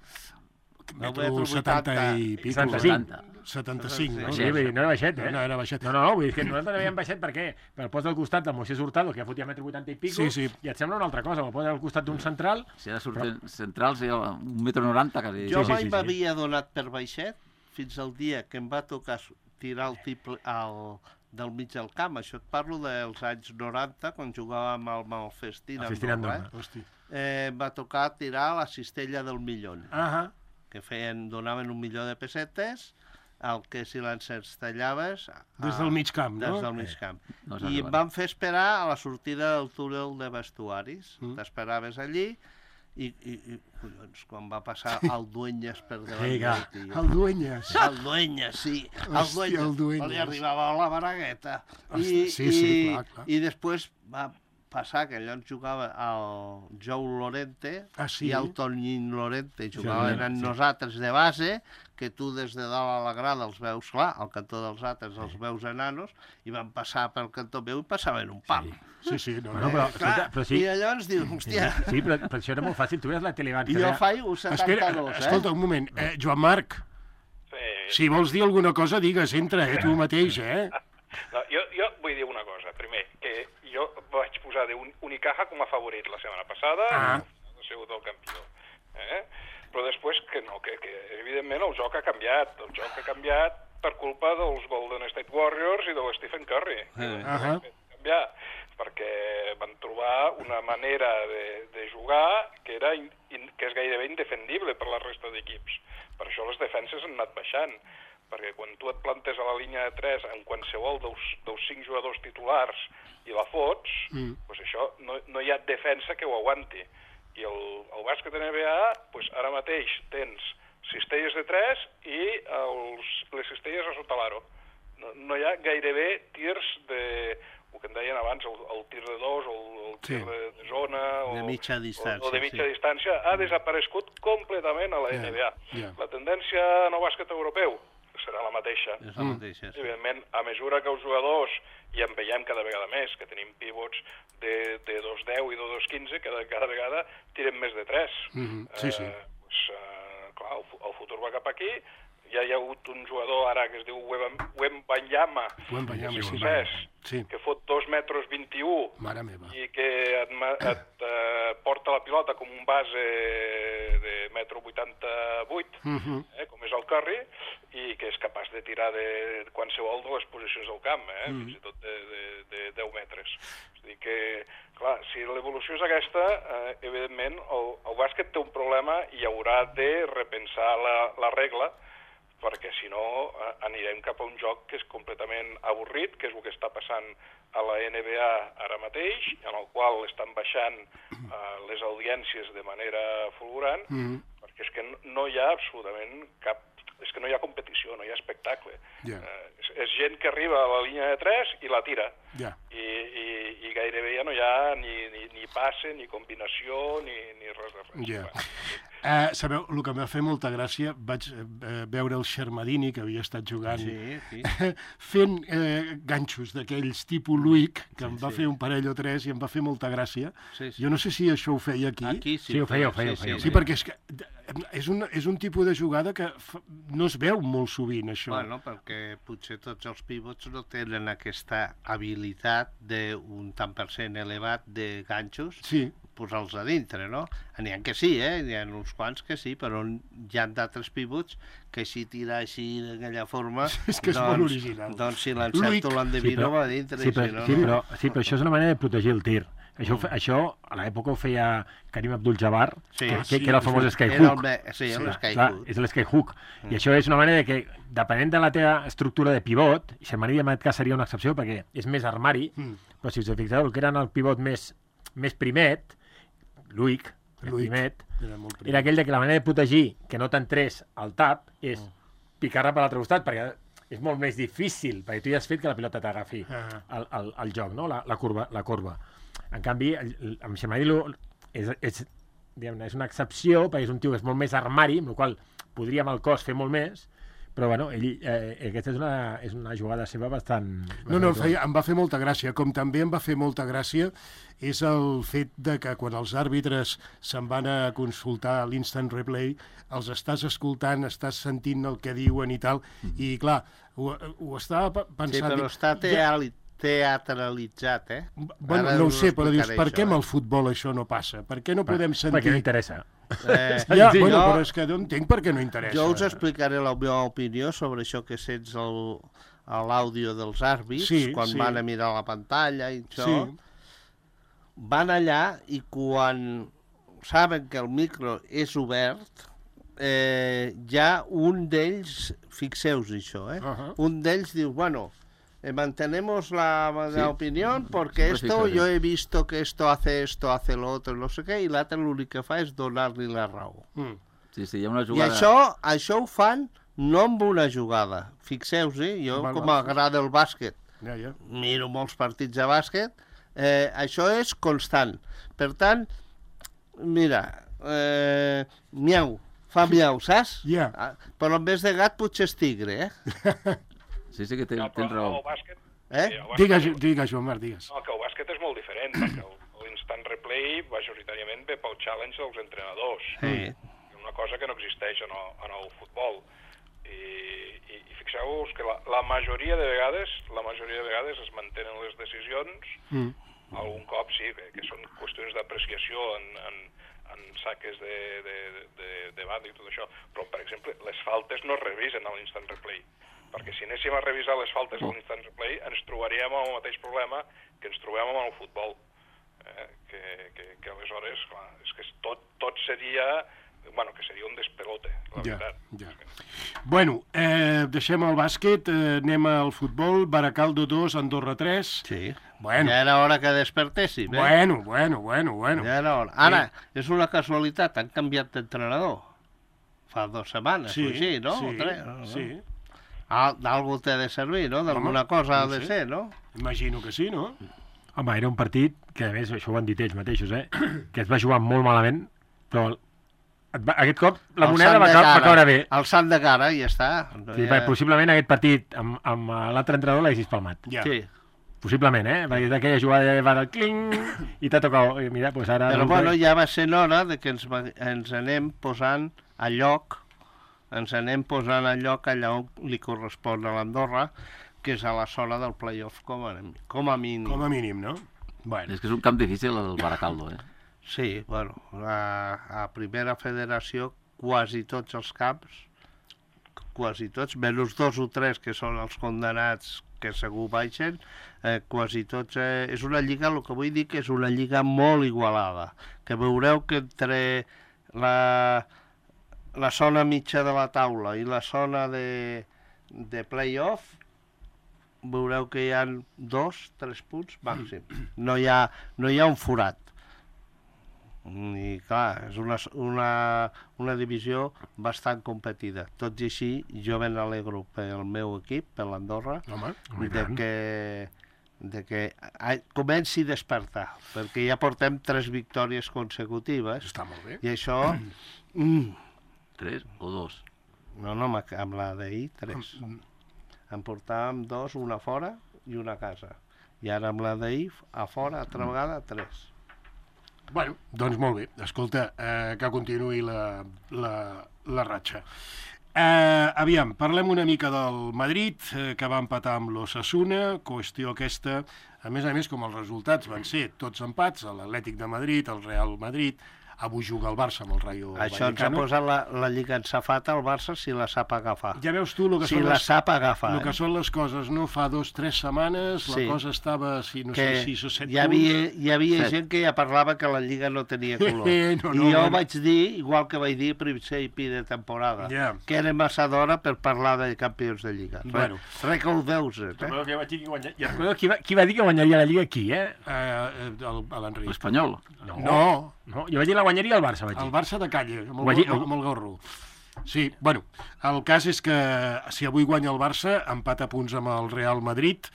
Metro setanta i pico. setanta-cinc. setanta-cinc, no? Sí, vull dir, no era baixet, eh? No, era baixet. No, no, no, vull dir que nosaltres havíem baixet perquè per post del costat del Moisés Hurtado, que ja fotia metre vuitanta i pico, Sí, sí. i et sembla una altra cosa, me'l posa al costat d'un central, Si ara surten centrals, hi ha un metro noranta, quasi. Jo sí, mai sí, sí. m'havia donat per baixet fins al dia que em va tocar s- tirar el triple al, del mig del camp. Això et parlo dels anys noranta, quan jugàvem al Malfestín. El Festín Andorra, Andorra. Hosti. eh? Eh, em va tocar tirar la cistella del millón, Ah, que feien, donaven un milió de pessetes, el que si l'encestellaves... des del mig camp, no? Des del mig camp. No I em van fer esperar a la sortida del túnel de vestuaris. Mm. T'esperaves allí i, i, i collons, quan va passar el Dueñas per davant Sí, clar. del tio. El Dueñas. El Dueñas, sí. El Hòstia, Dueñas. el Dueñas. Li arribava la baragueta. Hosti, sí, sí, clar, clar. I després va passar que allò ens jugava el Joe Lorente Ah, sí? i el Tonín Lorente. Sí, Jugaven sí. amb nosaltres de base, que tu des de dalt a la grada els veus, clar, al cantó dels altres els veus enanos, i van passar pel cantó meu i passaven un pam. Sí, sí, no, Bueno, no. però, Eh, clar, escolta, però sí. I llavors dius, hòstia, Sí, però, però això era molt fàcil. Tu veies la tele abans. i que jo deia- faig un Espera, setanta-dos, eh? escolta, un moment. Eh, Joan Marc, Sí. si vols dir alguna cosa, digues, entra, eh, tu mateix, eh? No, jo, jo vull dir una cosa. Primer, que jo vaig posar de un, Unicaja com a favorit la setmana passada, Ah. ha sigut el campió. Eh? Però després que no, que, que evidentment el joc ha canviat. El joc ha canviat per culpa dels Golden State Warriors i de Stephen Curry. Eh. Ahà. Canviar, perquè van trobar una manera de, de jugar que, era in, in, que és gairebé indefendible per la resta d'equips. Per això les defenses han anat baixant, perquè quan tu et plantes a la línia de tres en qualsevol dels, dels cinc jugadors titulars i la fots, Mm. doncs això no, no hi ha defensa que ho aguanti. I el, el bàsquet N B A, doncs ara mateix tens cistelles de tres i els, les cistelles a sota l'aro. No, no hi ha gairebé tirs de... el que em deien abans, el, el tir de dos, o el, el tir Sí. de, de zona... O, De mitja distància, O, o de mitja sí. distància, ha desaparegut completament a la Ja, N B A. ja. La tendència en el bàsquet europeu serà la mateixa. És la mateixa. Sí. Evidentment, a mesura que els jugadors, i en veiem cada vegada més, que tenim pivots de, de dos deu i de dos quinze, cada, cada vegada tiren més de tres. Mhm, sí, sí. Eh, pues, eh, clar, el, fu- el futur va cap aquí. Ja hi ha hagut un jugador ara que es diu Wemba- Wembanyama, Wembanyama, que és sí. francès, Sí. que fot dos metres vint-i-u Mare meva. i que et, ma- et eh, porta la pilota com un base de metro vuitanta-vuit, Mhm. eh, com és el Curry, i que és capaç de tirar de qualsevol de les posicions del camp, eh, Mm. fins i tot de, de, de deu metres. És a dir que, clar, si l'evolució és aquesta, eh, evidentment el, el bàsquet té un problema i haurà de repensar la, la regla, perquè si no eh, anirem cap a un joc que és completament avorrit, que és el que està passant a la N B A ara mateix, en el qual estan baixant eh, les audiències de manera fulgurant, Mhm. perquè és que no- no hi ha absolutament cap... És que no hi ha competició, no hi ha espectacle. Ja. Eh, és, és gent que arriba a la línia de tres i la tira. Ja. I, i, i gairebé ja no hi ha ni, ni, ni passe, ni combinació, ni, ni res de res. Ja. Bueno, Eh, sabeu, el que em va fer molta gràcia, vaig eh, veure el Xermadini, que havia estat jugant, Sí, sí. fent eh, ganxos d'aquells tipus Luic, que em va sí. fer un parell o tres i em va fer molta gràcia. Sí, sí. Jo no sé si això ho feia aquí. Aquí sí. Sí, ho feia, ho feia, ho sí, feia. Sí, perquè és que és un, és un tipus de jugada que fa, no es veu molt sovint, això. Bueno, perquè potser tots els pivots no tenen aquesta habilitat d'un tant per cent elevat de ganxos, Sí, posar-los a dintre, no? N'hi ha que sí, eh? N'hi ha uns quants que sí, però hi ha d'altres pivots que si tira així d'aquella forma... És que és molt original. Doncs si l'encerto Luic. l'endevino va a dintre, sí, i però, si no, sí, no. però, sí, però això és una manera de protegir el tir. Això, ho fe- això a l'època ho feia Karim Abdul-Jabbar, Sí. que, Ah, que, sí, que era el famós sí. Era el, skyhook. me- sí, el Clar, skyhook. és l'skyhook. I això és una manera de que, depenent de la teva estructura de pivot, i Xermadí en aquest cas seria una excepció perquè és més armari, Mm. però si us fixeu, el que era el pivot més, més primet, Luic, el Luic. primet, era molt primer. era aquell de que la manera de protegir que no t'entrés al tap és picar-la per l'altre costat, perquè és molt més difícil, perquè tu ja has fet que la pilota t'agafi Ah. el, el, el joc, no? la, la, curva, la curva. En canvi, el, el, amb Xermadí lo- és, és, diguem-ne, és una excepció, perquè és un tio que és molt més armari, amb la qual cosa podria amb el cos fer molt més, però bueno, ell, eh, aquesta és una, és una jugada seva bastant... No, no, em, bastant- feia, em va fer molta gràcia. Com també em va fer molta gràcia és el fet de que quan els àrbitres se'n van a consultar l'instant replay, els estàs escoltant, estàs sentint el que diuen i tal, i clar, ho, ho estava pe- Sí, pensant... però dic, està ja- teali- teatralitzat, eh? Bueno, Ara no ho us sé, però dius, explicaré per això, què amb eh? el futbol això no passa? Per què no podem sentir... Perquè no interessa. Eh, Ja, Sí, bueno, jo- però és que no entenc per què no interessa. Jo us explicaré la meva opinió sobre això que sents el- a l'àudio dels àrbits, Sí, quan sí. van a mirar la pantalla i això. Sí. Van allà i quan saben que el micro és obert, eh, ja un d'ells, fixeu-vos això, eh? Ahà. Un d'ells diu, bueno, eh, mantenemos la, la Sí. opinión porque Siempre esto, fíjate. yo he visto que esto hace esto, hace lo otro, no sé què, i l'altre l'únic que fa és donar-li la raó. Mm. Sí, sí, hi ha una I jugada... això, això ho fan no amb una jugada. Fixeu-vos, jo Val, com val. m'agrada el bàsquet, Ja, ja. miro molts partits de bàsquet, eh, això és constant. Per tant, mira, eh, miau, fa miau, saps? Ja. Ah, però en vez de gat potser és tigre, eh? Sí, sí que ten, no, tens però raó. el bàsquet... Eh? sí, el bàsquet- Digues, digues, Joan Marc, digues. No, que el bàsquet és molt diferent, perquè el- l'instant replay majoritàriament ve pel challenge dels entrenadors. Sí. Una cosa que no existeix en el, en el futbol. I, i, i fixeu-vos que la, la majoria de vegades la majoria de vegades es mantenen les decisions. Mm. Algun cop sí, bé, que són qüestions d'apreciació en, en, en saques de, de, de, de banda i tot això. Però, per exemple, les faltes no es revisen a l'instant replay. Perquè si anéssim a revisar les faltes a l'instant replay ens trobaríem amb el mateix problema que ens trobem amb el futbol. Eh? Que, que, que aleshores, clar, és que tot, tot seria... Bueno, que seria un despelote, la Ja, veritat. ja. Bueno, eh, deixem el bàsquet, eh, anem al futbol, Baracaldo dos, Andorra tres. Sí. Bueno, Ja era hora que despertéssim, eh? bueno, bueno, bueno, bueno. Ja era hora. Ara, és una casualitat, han canviat d'entrenador. fa dues setmanes, Sí, o així, no? sí, O tres, no? sí. Al- D'algú té de servir, no? D'alguna Home, cosa ha no de sé. ser, no? Imagino que sí, no? Home, era un partit que, a més, això ho han dit ells mateixos, eh? que es va jugar molt malament, però el- et va, aquest cop la El moneda sant va, de ca- va cara. caure bé. El sant de cara, i ja està. No Sí, hi ha- perquè possiblement aquest partit amb, amb l'altre entrenador l'haguessis palmat. Ja. Sí. Possiblement, eh? Perquè d'aquella jugada va del cling i t'ha tocat. I mira, doncs ara... Però resulta- bueno, ja va ser hora de que ens, va- ens anem posant a lloc, ens anem posant a lloc allà on li correspon a l'Andorra, que és a la zona del play-off com a, com a mínim. Com a mínim, no? Bueno, És que és un camp difícil el Baracaldo, eh? Sí, bueno, a, a primera federació quasi tots els camps, quasi tots, menys dos o tres que són els condenats que segur baixen, eh, quasi tots... Eh, és una lliga, el que vull dir que és una lliga molt igualada, que veureu que entre la, la zona mitja de la taula i la zona de, de play-off veureu que hi ha dos, tres punts màxim. No hi ha, no hi ha un forat. I clar, és una, una, una divisió bastant competida. Tot i així, jo me n'alegro pel meu equip, per l'Andorra, home, home, i de tant. que, de que a- comenci a despertar, perquè ja portem tres victòries consecutives, està molt bé. i això... Mm, Tres o dos? no, no, amb amb la d'ahir, tres. En portàvem dos, una fora i una a casa. I ara amb la d'ahir, a fora, altra vegada, tres. Bueno, doncs molt bé. Escolta, eh, que continuï la, la, la ratxa. Eh, aviam, parlem una mica del Madrid, eh, que va empatar amb l'Osasuna, qüestió aquesta, a més a més, com els resultats van ser tots empats, l'Atlètic de Madrid, el Real Madrid, avui juga el Barça amb el Rayo Això ens ha Vallecano. posat la, la lliga en safata al Barça si la sap agafar. Ja veus tu el que, Si són la les, sap agafar. el que eh? són les coses, no? Fa dos, tres setmanes, Sí. la cosa estava, si no Que sé, sis o set hi havia, punts. hi havia Set. gent que ja parlava que la lliga no tenia color. Eh, no, no, I jo no. vaig dir, igual que vaig dir a principi de temporada, Ja. que era massa d'hora per parlar de campions de lliga. Bueno. Recordeu-vos, eh? Recordeu que vaig dir que guanya... I recordeu qui va, qui va dir que guanyaria la Lliga aquí, eh? Eh, el- l'Enric. L'Espanyol? No. No, no. Jo vaig dir la guanyaria el Barça, vaig dir. el Barça de calle, amb Ho vaig el, dir- amb el gorro. Sí, bueno, el cas és que si avui guanya el Barça, empat a punts amb el Real Madrid,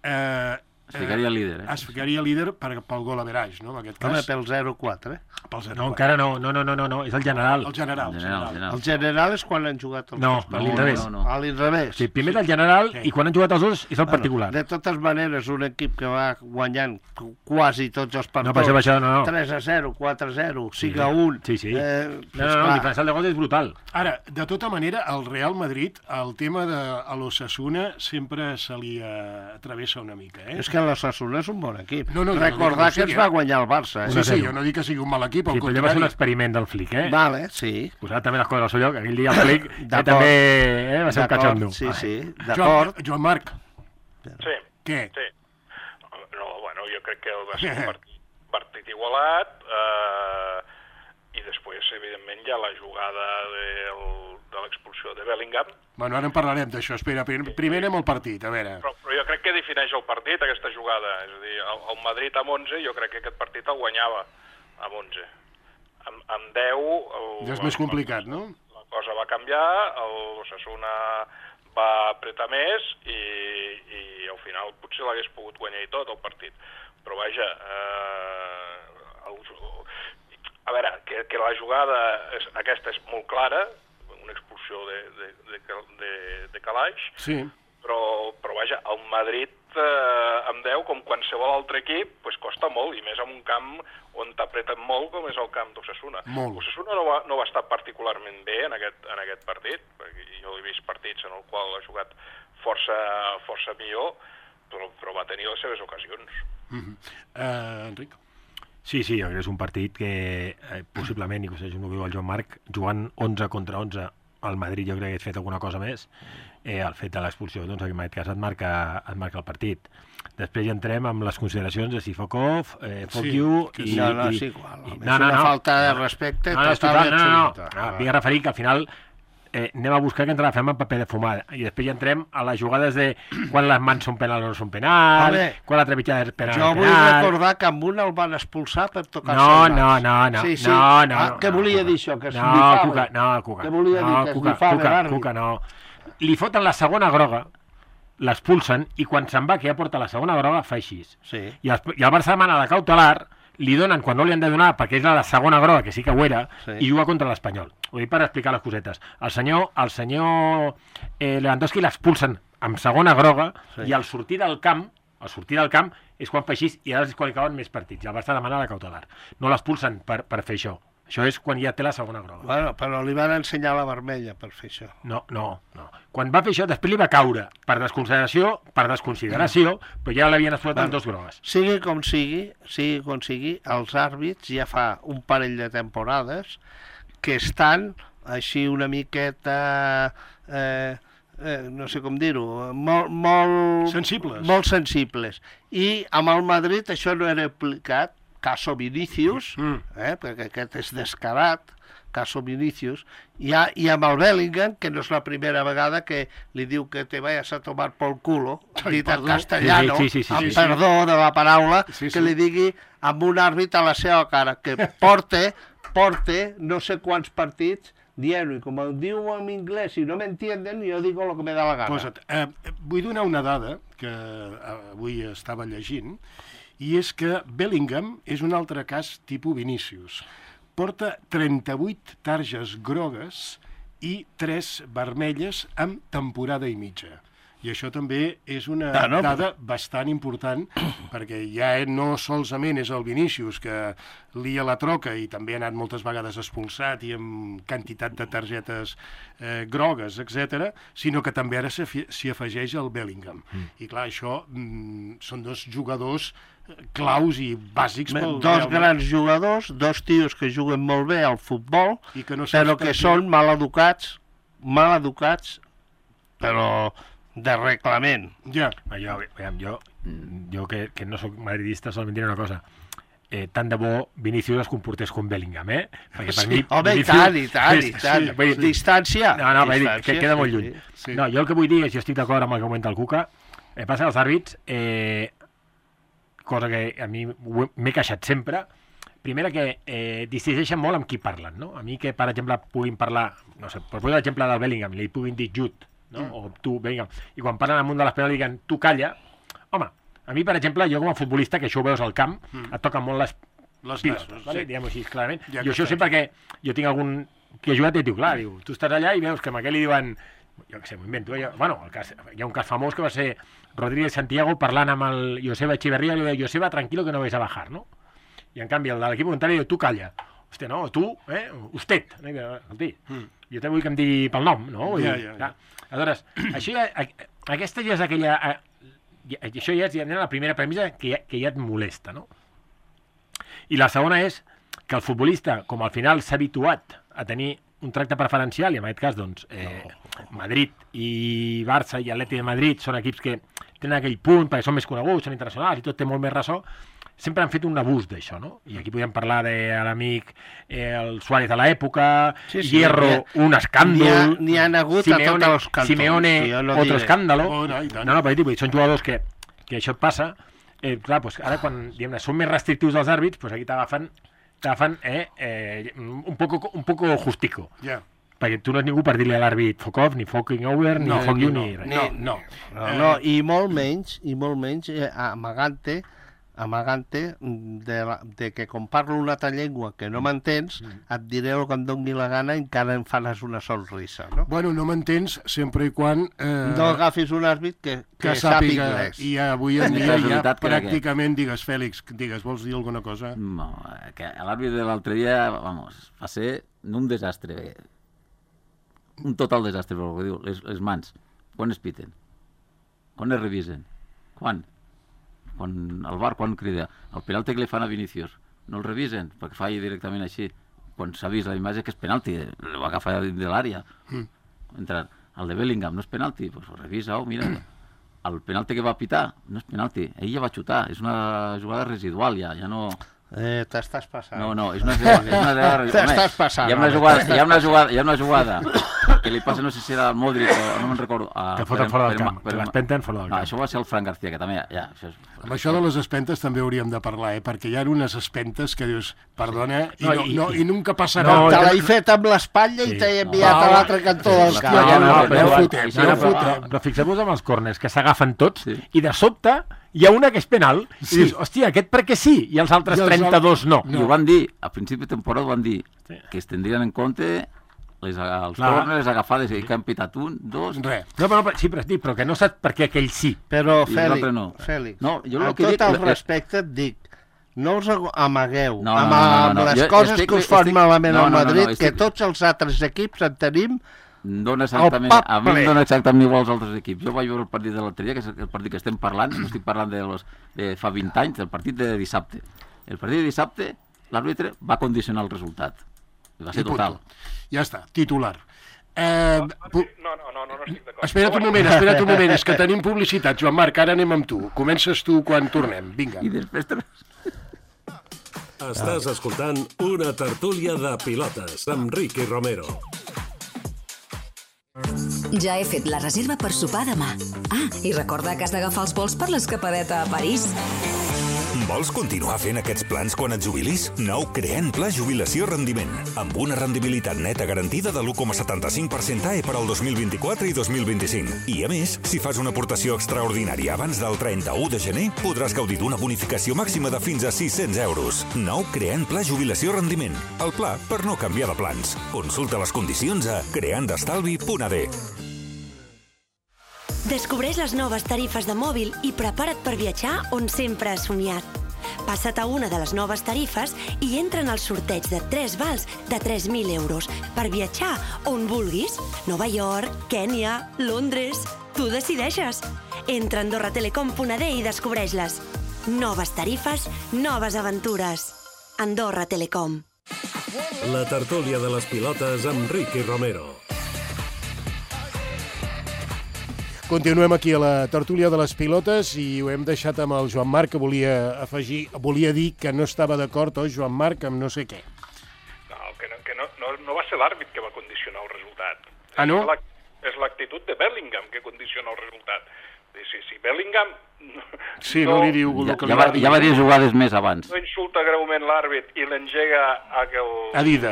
eh, Es ficaria líder, eh? es ficaria líder per, pel gol average, no? En aquest Home, cas, pel zero quatre. Eh? pel zero No, quatre. encara no, no, no, no, no, no, és el general. El general, En el general, general. en general. El general és quan han jugat els No, dos a partits. l'inrevés. no, no. A l'inrevés. Sí, primer del general Sí. i quan han jugat els dos és el particular. De totes maneres, un equip que va guanyant qu- quasi tots els partits. No, per això, per això, no, no. tres a zero, quatre a zero, cinc a un. Sí, sí. Eh, No, no, no, el diferencial de gols és brutal. Ara, de tota manera, el Real Madrid, el tema de a l'Osasuna sempre se li eh, travessa una mica, eh? És que l'Osasuna és un bon equip. No, no, jo no dic Recordar que que no ens sigui, va eh? guanyar el Barça. Eh? Sí, sí, jo no dic que sigui un mal equip, al Sí, però allò va ser un contrari. experiment del Flick, eh? Vale, sí. Posar també les coses al seu lloc. Aquell dia el Flick eh, D'acord. també eh, va ser un D'acord, cachondo. Sí, sí, Joan, d'acord. Joan Marc, Sí, què? sí. No, bueno, jo crec que va ser un partit, partit igualat eh, i després, evidentment, hi ha la jugada del, de l'expulsió de Bellingham, Bueno, ara en parlarem d'això. Espera, prim- primer anem al partit, a veure. però, però jo crec que defineix el partit, aquesta jugada. És a dir, el, el Madrid amb onze, jo crec que aquest partit el guanyava amb onze. Amb, amb deu... El, Ja és més complicat, no? La cosa va canviar, l'Osasuna va apretar més i, i al final potser l'hagués pogut guanyar i tot el partit. Però vaja, eh, el, a veure, que, que la jugada és, aquesta és molt clara, una expulsió de, de, de, de, de Calaix, Sí. però, però vaja, el Madrid eh, amb deu, com qualsevol altre equip, pues costa molt, i més en un camp on t'apreten molt, com és el camp d'Osasuna. Molt. Osasuna no va, no va estar particularment bé en aquest, en aquest partit, perquè jo he vist partits en el qual ha jugat força, força millor, però, però va tenir les seves ocasions. Mm-hmm. eh, Enric? Sí, sí, jo crec que és un partit que eh, possiblement, i que és el que diu el Joan Marc, jugant onze contra onze al Madrid jo crec que hagués fet alguna cosa més. Eh, el fet de l'expulsió, doncs en aquest cas et marca, et marca el partit. Després ja entrem amb les consideracions de si fuck off, eh, fuck Sí, you... que i, no, no, i, és igual. i, és una falta de respecte no, no, és total i total, no, no, no, absoluta. no, vinc a referir que al final eh, anem a buscar que ens agafem en paper de fumada. I després ja entrem a les jugades de quan les mans són penal o no són penal, Home, quan la trepitjada és penal Jo o vull penal... recordar que amb una el van expulsar per tocar-se No, el no, nas. no, no, sí, sí. no, no. Ah, no què no, volia Cuca. dir això? Que es No, bifava? Cuca, no, Cuca. Què volia dir? No, Que es Cuca, bifava Cuca, l'àrbit? Cuca, no. Li foten la segona groga, l'expulsen, i quan se'n va, que ja porta la segona groga, fa així. Sí. I el, i el Barça demana la cautelar, li donen quan no li han de donar, perquè és la segona groga, que sí que ho era, Sí. i juga contra l'Espanyol. Ho dic per explicar les cosetes. El senyor, el senyor eh, Lewandowski l'expulsen amb segona groga, Sí. i al sortir del camp, al sortir del camp, és quan fa així, i ara es qualificaven més partits. I el Barça demana la cautelar. No l'expulsen per, per fer això. Això és quan ja té la segona groga. Bueno, però li van ensenyar la vermella per fer això. No, no, no. Quan va fer això, després li va caure per desconsideració, per desconsideració, però ja l'havien explotat amb dos grogues. Sigui com sigui, sigui com sigui, els àrbits ja fa un parell de temporades que estan així una miqueta... Eh, eh, no sé com dir-ho, molt, molt... Sensibles. Molt sensibles. I amb el Madrid això no era aplicat, caso Vinícius, Mm. eh, perquè aquest és descarat, caso Vinícius, i, ha, i amb el Bellingham, que no és la primera vegada que li diu que te vayas a tomar por culo, Ai, dit en perdó. castellano, Sí, sí, sí, sí, amb sí. perdó de la paraula, Sí, sí. que li digui amb un àrbit a la seva cara, que porte, porte no sé quants partits dient-ho, i com ho diu en anglès i no m'entienden, jo digo lo que me da la gana. Posa't. Eh, vull donar una dada que eh, avui estava llegint, i és que Bellingham és un altre cas tipus Vinícius. Porta trenta-vuit targes grogues i tres vermelles en temporada i mitja. I això també és una Ah, no? dada bastant important, perquè ja no solament és el Vinícius que lia la troca i també ha anat moltes vegades expulsat i amb quantitat de targetes eh, grogues, etcètera, sinó que també ara s'hi s'hi afegeix el Bellingham. Mm. I clar, això mm, són dos jugadors claus i bàsics pel Dos Real Madrid. grans jugadors, dos tios que juguen molt bé al futbol, I que no però saps que per què. són mal educats, mal educats, però de reglament. Ja, Jo, aviam, jo, jo que, que no sóc madridista, solament diré una cosa. Eh, tant de bo Vinícius es comportés com Bellingham, eh? Perquè per Sí. mi... Home, i Vinícius tant, i tant, i és- tant. sí, vull dir- Distància. No, no, vull dir, Distància, que queda molt sí, lluny. sí. sí. No, jo el que vull dir és, jo estic d'acord amb el que comenta el Cuca, eh, passa als àrbits, eh, cosa que a mi ho he- m'he queixat sempre, primera que eh, distingeixen molt amb qui parlen, no? A mi que, per exemple, puguin parlar, no sé, per posar l'exemple del Bellingham, li puguin dir Jude, no? Mm. O tu, Bellingham, i quan parlen amunt de les penals diguen tu calla, home, a mi, per exemple, jo com a futbolista, que això ho veus al camp, mm. et toquen molt les Les pilotes, nassos, vale? sí. Diguem-ho així, clarament. Ja I que això està sé perquè jo tinc algun que ha jugat i et diu, clar, diu, tu estàs allà i veus que amb aquell li diuen, jo què sé, m'ho invento, eh? bueno, el cas, hi ha un cas famós que va ser Rodríguez Santiago parlant amb el Joseba Echeverría, li deia, Joseba, tranquilo que no vais a bajar, no? I en canvi el de l'equip contrari diu, tu calla. Hòstia, no, tu, eh? Usted. No? I diu, escolti, Mm. jo també vull que em digui pel nom, no? Vull Ja, dir, ja, ja. clar. Aleshores, això ja, a- aquesta ja és aquella... a- ja- Això ja és ja la primera premissa que ja, que ja et molesta, no? I la segona és que el futbolista, com al final s'ha habituat a tenir un tracte preferencial, i en aquest cas, doncs, eh, Madrid i Barça i Atleti de Madrid són equips que tenen aquell punt, perquè són més coneguts, són internacionals i tot té molt més ressò, sempre han fet un abús d'això, no? I aquí podem parlar de l'amic eh, el Suárez de l'època, Sí, sí, Hierro, n'hi ha- un escàndol... n'hi ha- n'hi han hagut a tots els cantons, Simeone, jo no otro diré. escàndalo... Oh, no, i tant. No, no, però dic, són jugadors que, que això et passa. Eh, clar, doncs ara quan diguem-ne, són més restrictius els àrbits, doncs aquí t'agafen t'agafen eh, eh, un, poco, un poco justico. Ja. Perquè tu no ets ningú per dir-li a l'àrbit fuck off, ni fucking over, ni No, fuck you, no, ni res. no, no. No, Eh, no, i molt menys, i molt menys eh, amagant-te amagant-te de, la, de que com parlo una altra llengua que no m'entens, et diré el que em doni la gana i encara em faràs una sonrisa, no? Bueno, no m'entens sempre i quan... Eh, No agafis un àrbit que, que, que sàpiga sàpiga, anglès. i avui en És dia ja casualitat que era pràcticament, digues, Fèlix, digues, vols dir alguna cosa? No, eh, que l'àrbit de l'altre dia, vamos, va ser un desastre. Un total desastre, pel que diu. Les, les mans, quan es piten? Quan es revisen? Quan? Quan el bar, quan crida? El penalti que li fan a Vinícius, no el revisen, perquè falli directament així. Quan s'ha vist la imatge que és penalti, el va agafar dins de l'àrea. Mm. Entra, el de Bellingham no és penalti, doncs pues revisa, oh, mira, el penalti que va pitar no és penalti, ell ja va xutar, és una jugada residual, ja, ja no... Eh, t'estàs passant. No, no, és una, és una jugada... T'estàs passant, Hi ha una home, jugada, hi ha una jugada, hi ha una jugada que li passa, no sé si era al Modric o no me'n recordo. A, Que foten fora del camp, que l'espenten fora del no, camp. això va ser el Fran García, que també... Ja, això és... Amb això de les espentes també hauríem de parlar, eh? Perquè hi ha unes espentes que dius, perdona, i, No, no, i- no, i- i nunca passarà. No, Te i- l'he fet amb l'espatlla i Sí. t'he enviat Ah, a l'altre cantó del sí, camp. Ja, no, no, no, però- ja fotem, sí, ja no, però, fotem. però fixeu-vos amb els corners, que s'agafen tots, Sí. i de sobte hi ha una que és penal, i Sí. dius, hòstia, aquest perquè sí, i els altres I els trenta-dos no. I ho van dir, a principi de temporada ho van dir, Sí. que es tindrien en compte les, els Clar. corners, les agafades, i que han pitat un, dos... Res. No, però, però, sí, però, dic, però que no saps per què aquell sí. Però, I Fèlix, l'altre no. Fèlix, No, jo el amb que tot dic- el eh, respecte et dic, no us agu- amagueu No, no, amb, no, no, amb no. les Jo coses estic- que us fan estic- malament no, al no, no, no, Madrid, que estic- tots els altres equips en tenim. Dona exactament, pap a mi ple. em dona exactament igual als altres equips. Jo vaig veure el partit de l'altre dia, que és el partit que estem parlant, no estic parlant de, los, de fa vint anys, del partit de dissabte. El partit de dissabte, l'àrbitre va condicionar el resultat. Va ser I punt. total. Ja està, titular. Eh, pu- No, no, no, no, no estic d'acord. espera't un moment, espera't un moment, és que tenim publicitat, Joan Marc, ara anem amb tu. Comences tu quan tornem, vinga. I després... te- Estàs escoltant una tertúlia de pilotes amb Ricky Romero. Ja he fet la reserva per sopar demà. Ah, i recorda que has d'agafar els vols per l'escapadeta a París. Vols continuar fent aquests plans quan et jubilis? Nou Creant Pla Jubilació Rendiment, amb una rendibilitat neta garantida de l'u coma setanta-cinc per cent A E per al dos mil vint-i-quatre i dos mil vint-i-cinc. I a més, si fas una aportació extraordinària abans del trenta-u de gener, podràs gaudir d'una bonificació màxima de fins a sis-cents euros. Nou Creant Pla Jubilació Rendiment, el pla per no canviar de plans. Consulta les condicions a creandestalvi punt a d. Descobreix les noves tarifes de mòbil i prepara't per viatjar on sempre has somiat. Passa't a una de les noves tarifes i entra en el sorteig de tres vals de tres mil euros per viatjar on vulguis. Nova York, Kènia, Londres... Tu decideixes. Entra a andorra telecom punt a d i descobreix-les. Noves tarifes, noves aventures. Andorra Telecom. La tertúlia de les pilotes amb Ricky Romero. Continuem aquí a la tertúlia de les pilotes i ho hem deixat amb el Joan Marc, que volia afegir, volia dir que no estava d'acord, oi, Joan Marc, amb no sé què. No, que no, que no, no, no va ser l'àrbit que va condicionar el resultat. Ah, no? És l'ac- És l'actitud de Bellingham que condiciona el resultat. Si, si Bellingham Sí, no, li diu Ja, el que ja, li va, va dir. ja va dir jugades més abans. no insulta greument l'àrbit i l'engega a que el... Adida.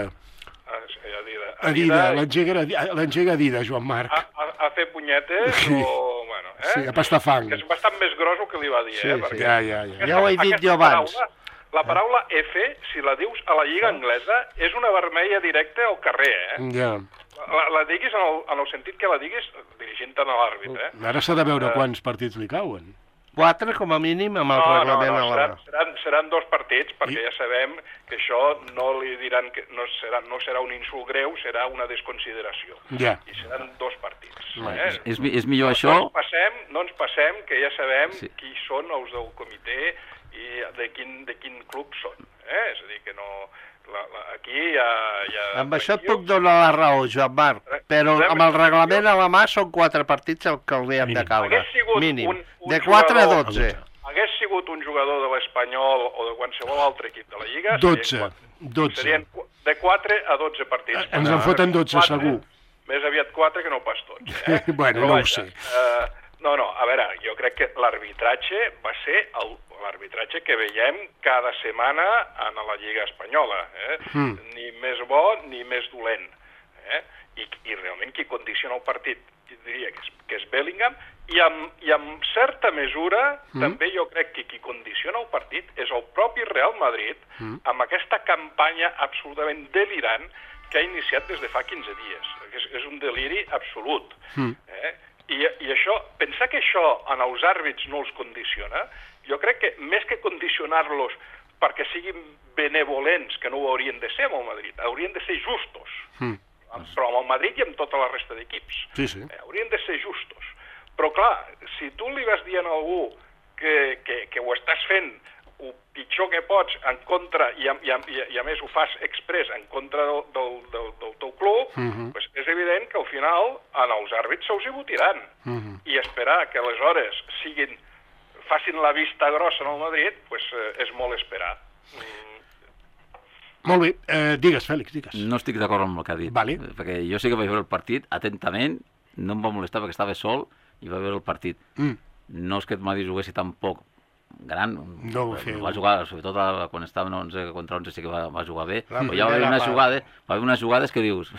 A, sí, a Dida. A Adida, Dida l'engega l'engega Adida, Joan Marc. a, a, a fer punyetes Sí. o... Bueno, eh? Sí, a pastar fang. Que és bastant més gros el que li va dir, Sí, eh? sí, Perquè ja, ja, ja. Ja ho he dit aquesta jo abans. Paraula, la paraula F, si la dius a la lliga anglesa, és una vermella directa al carrer, eh? Ja. La, la diguis en el, en el sentit que la diguis dirigint-te a l'àrbit, eh? Ara s'ha de veure quants partits li cauen. Quatre, com a mínim, amb el No, no, reglament no, a la seran, mà. seran, seran dos partits, perquè I- ja sabem que això no li diran que no serà, no serà un insult greu, serà una desconsideració. Ja. I seran dos partits. És, Eh? és, mi- és millor això... No ens passem, no ens passem, que ja sabem Sí. qui són els del comitè i de quin, de quin club són. Eh? És a dir, que no... La, la, aquí hi ha... Hi ha Amb això et aquí- puc donar la raó, Joan Marc, però Podem- amb el reglament a la mà són quatre partits el que hauríem de Mínim. caure. Hagués sigut Mínim. un- un De quatre a jugador- dotze. Hagués sigut un jugador de l'Espanyol o de qualsevol altre equip de la Lliga... dotze. serien quatre. dotze. Serien qu- de quatre a dotze partits. Eh, ens en foten dotze, Quatre, segur. Més aviat quatre que no pas tots. Eh? Bueno, Però no ho vaja, sé. Eh, no, no, a veure, jo crec que l'arbitratge va ser el- l'arbitratge que veiem cada setmana en la Lliga Espanyola. Eh? Mm. Ni més bo ni més dolent. Eh? I, I realment qui condiciona el partit diria que és, que és Bellingham, i amb, i amb certa mesura mm. també jo crec que qui condiciona el partit és el propi Real Madrid mm. amb aquesta campanya absolutament delirant que ha iniciat des de fa quinze dies. És, és un deliri absolut. Mm. Eh? I, I això, pensar que això en els àrbits no els condiciona, jo crec que més que condicionar-los perquè siguin benevolents, que no ho haurien de ser amb el Madrid, haurien de ser justos. Mm. Però amb el Madrid i amb tota la resta d'equips. Sí, sí. Eh, haurien de ser justos. Però clar, si tu li vas dient a algú que, que, que ho estàs fent el pitjor que pots en contra, i a, i a, i a més ho fas express en contra del, del, del, del teu club, uh -huh. pues és evident que al final en els àrbits se'ls hi votiran. Uh -huh. I esperar que aleshores siguin, facin la vista grossa en el Madrid, pues, eh, és molt esperar. Mm. Molt bé, eh, digues, Fèlix, digues. No estic d'acord amb el que ha dit. Vale. Perquè jo sí que vaig veure el partit atentament, no em va molestar perquè estava sol i va veure el partit. Mm. No és que el Madrid juguessi tampoc gran, No ho feu. va jugar, sobretot a, quan estava en onze contra onze sí que va, va jugar bé, La però ja va haver primera unes part. jugades, va haver unes jugades que dius,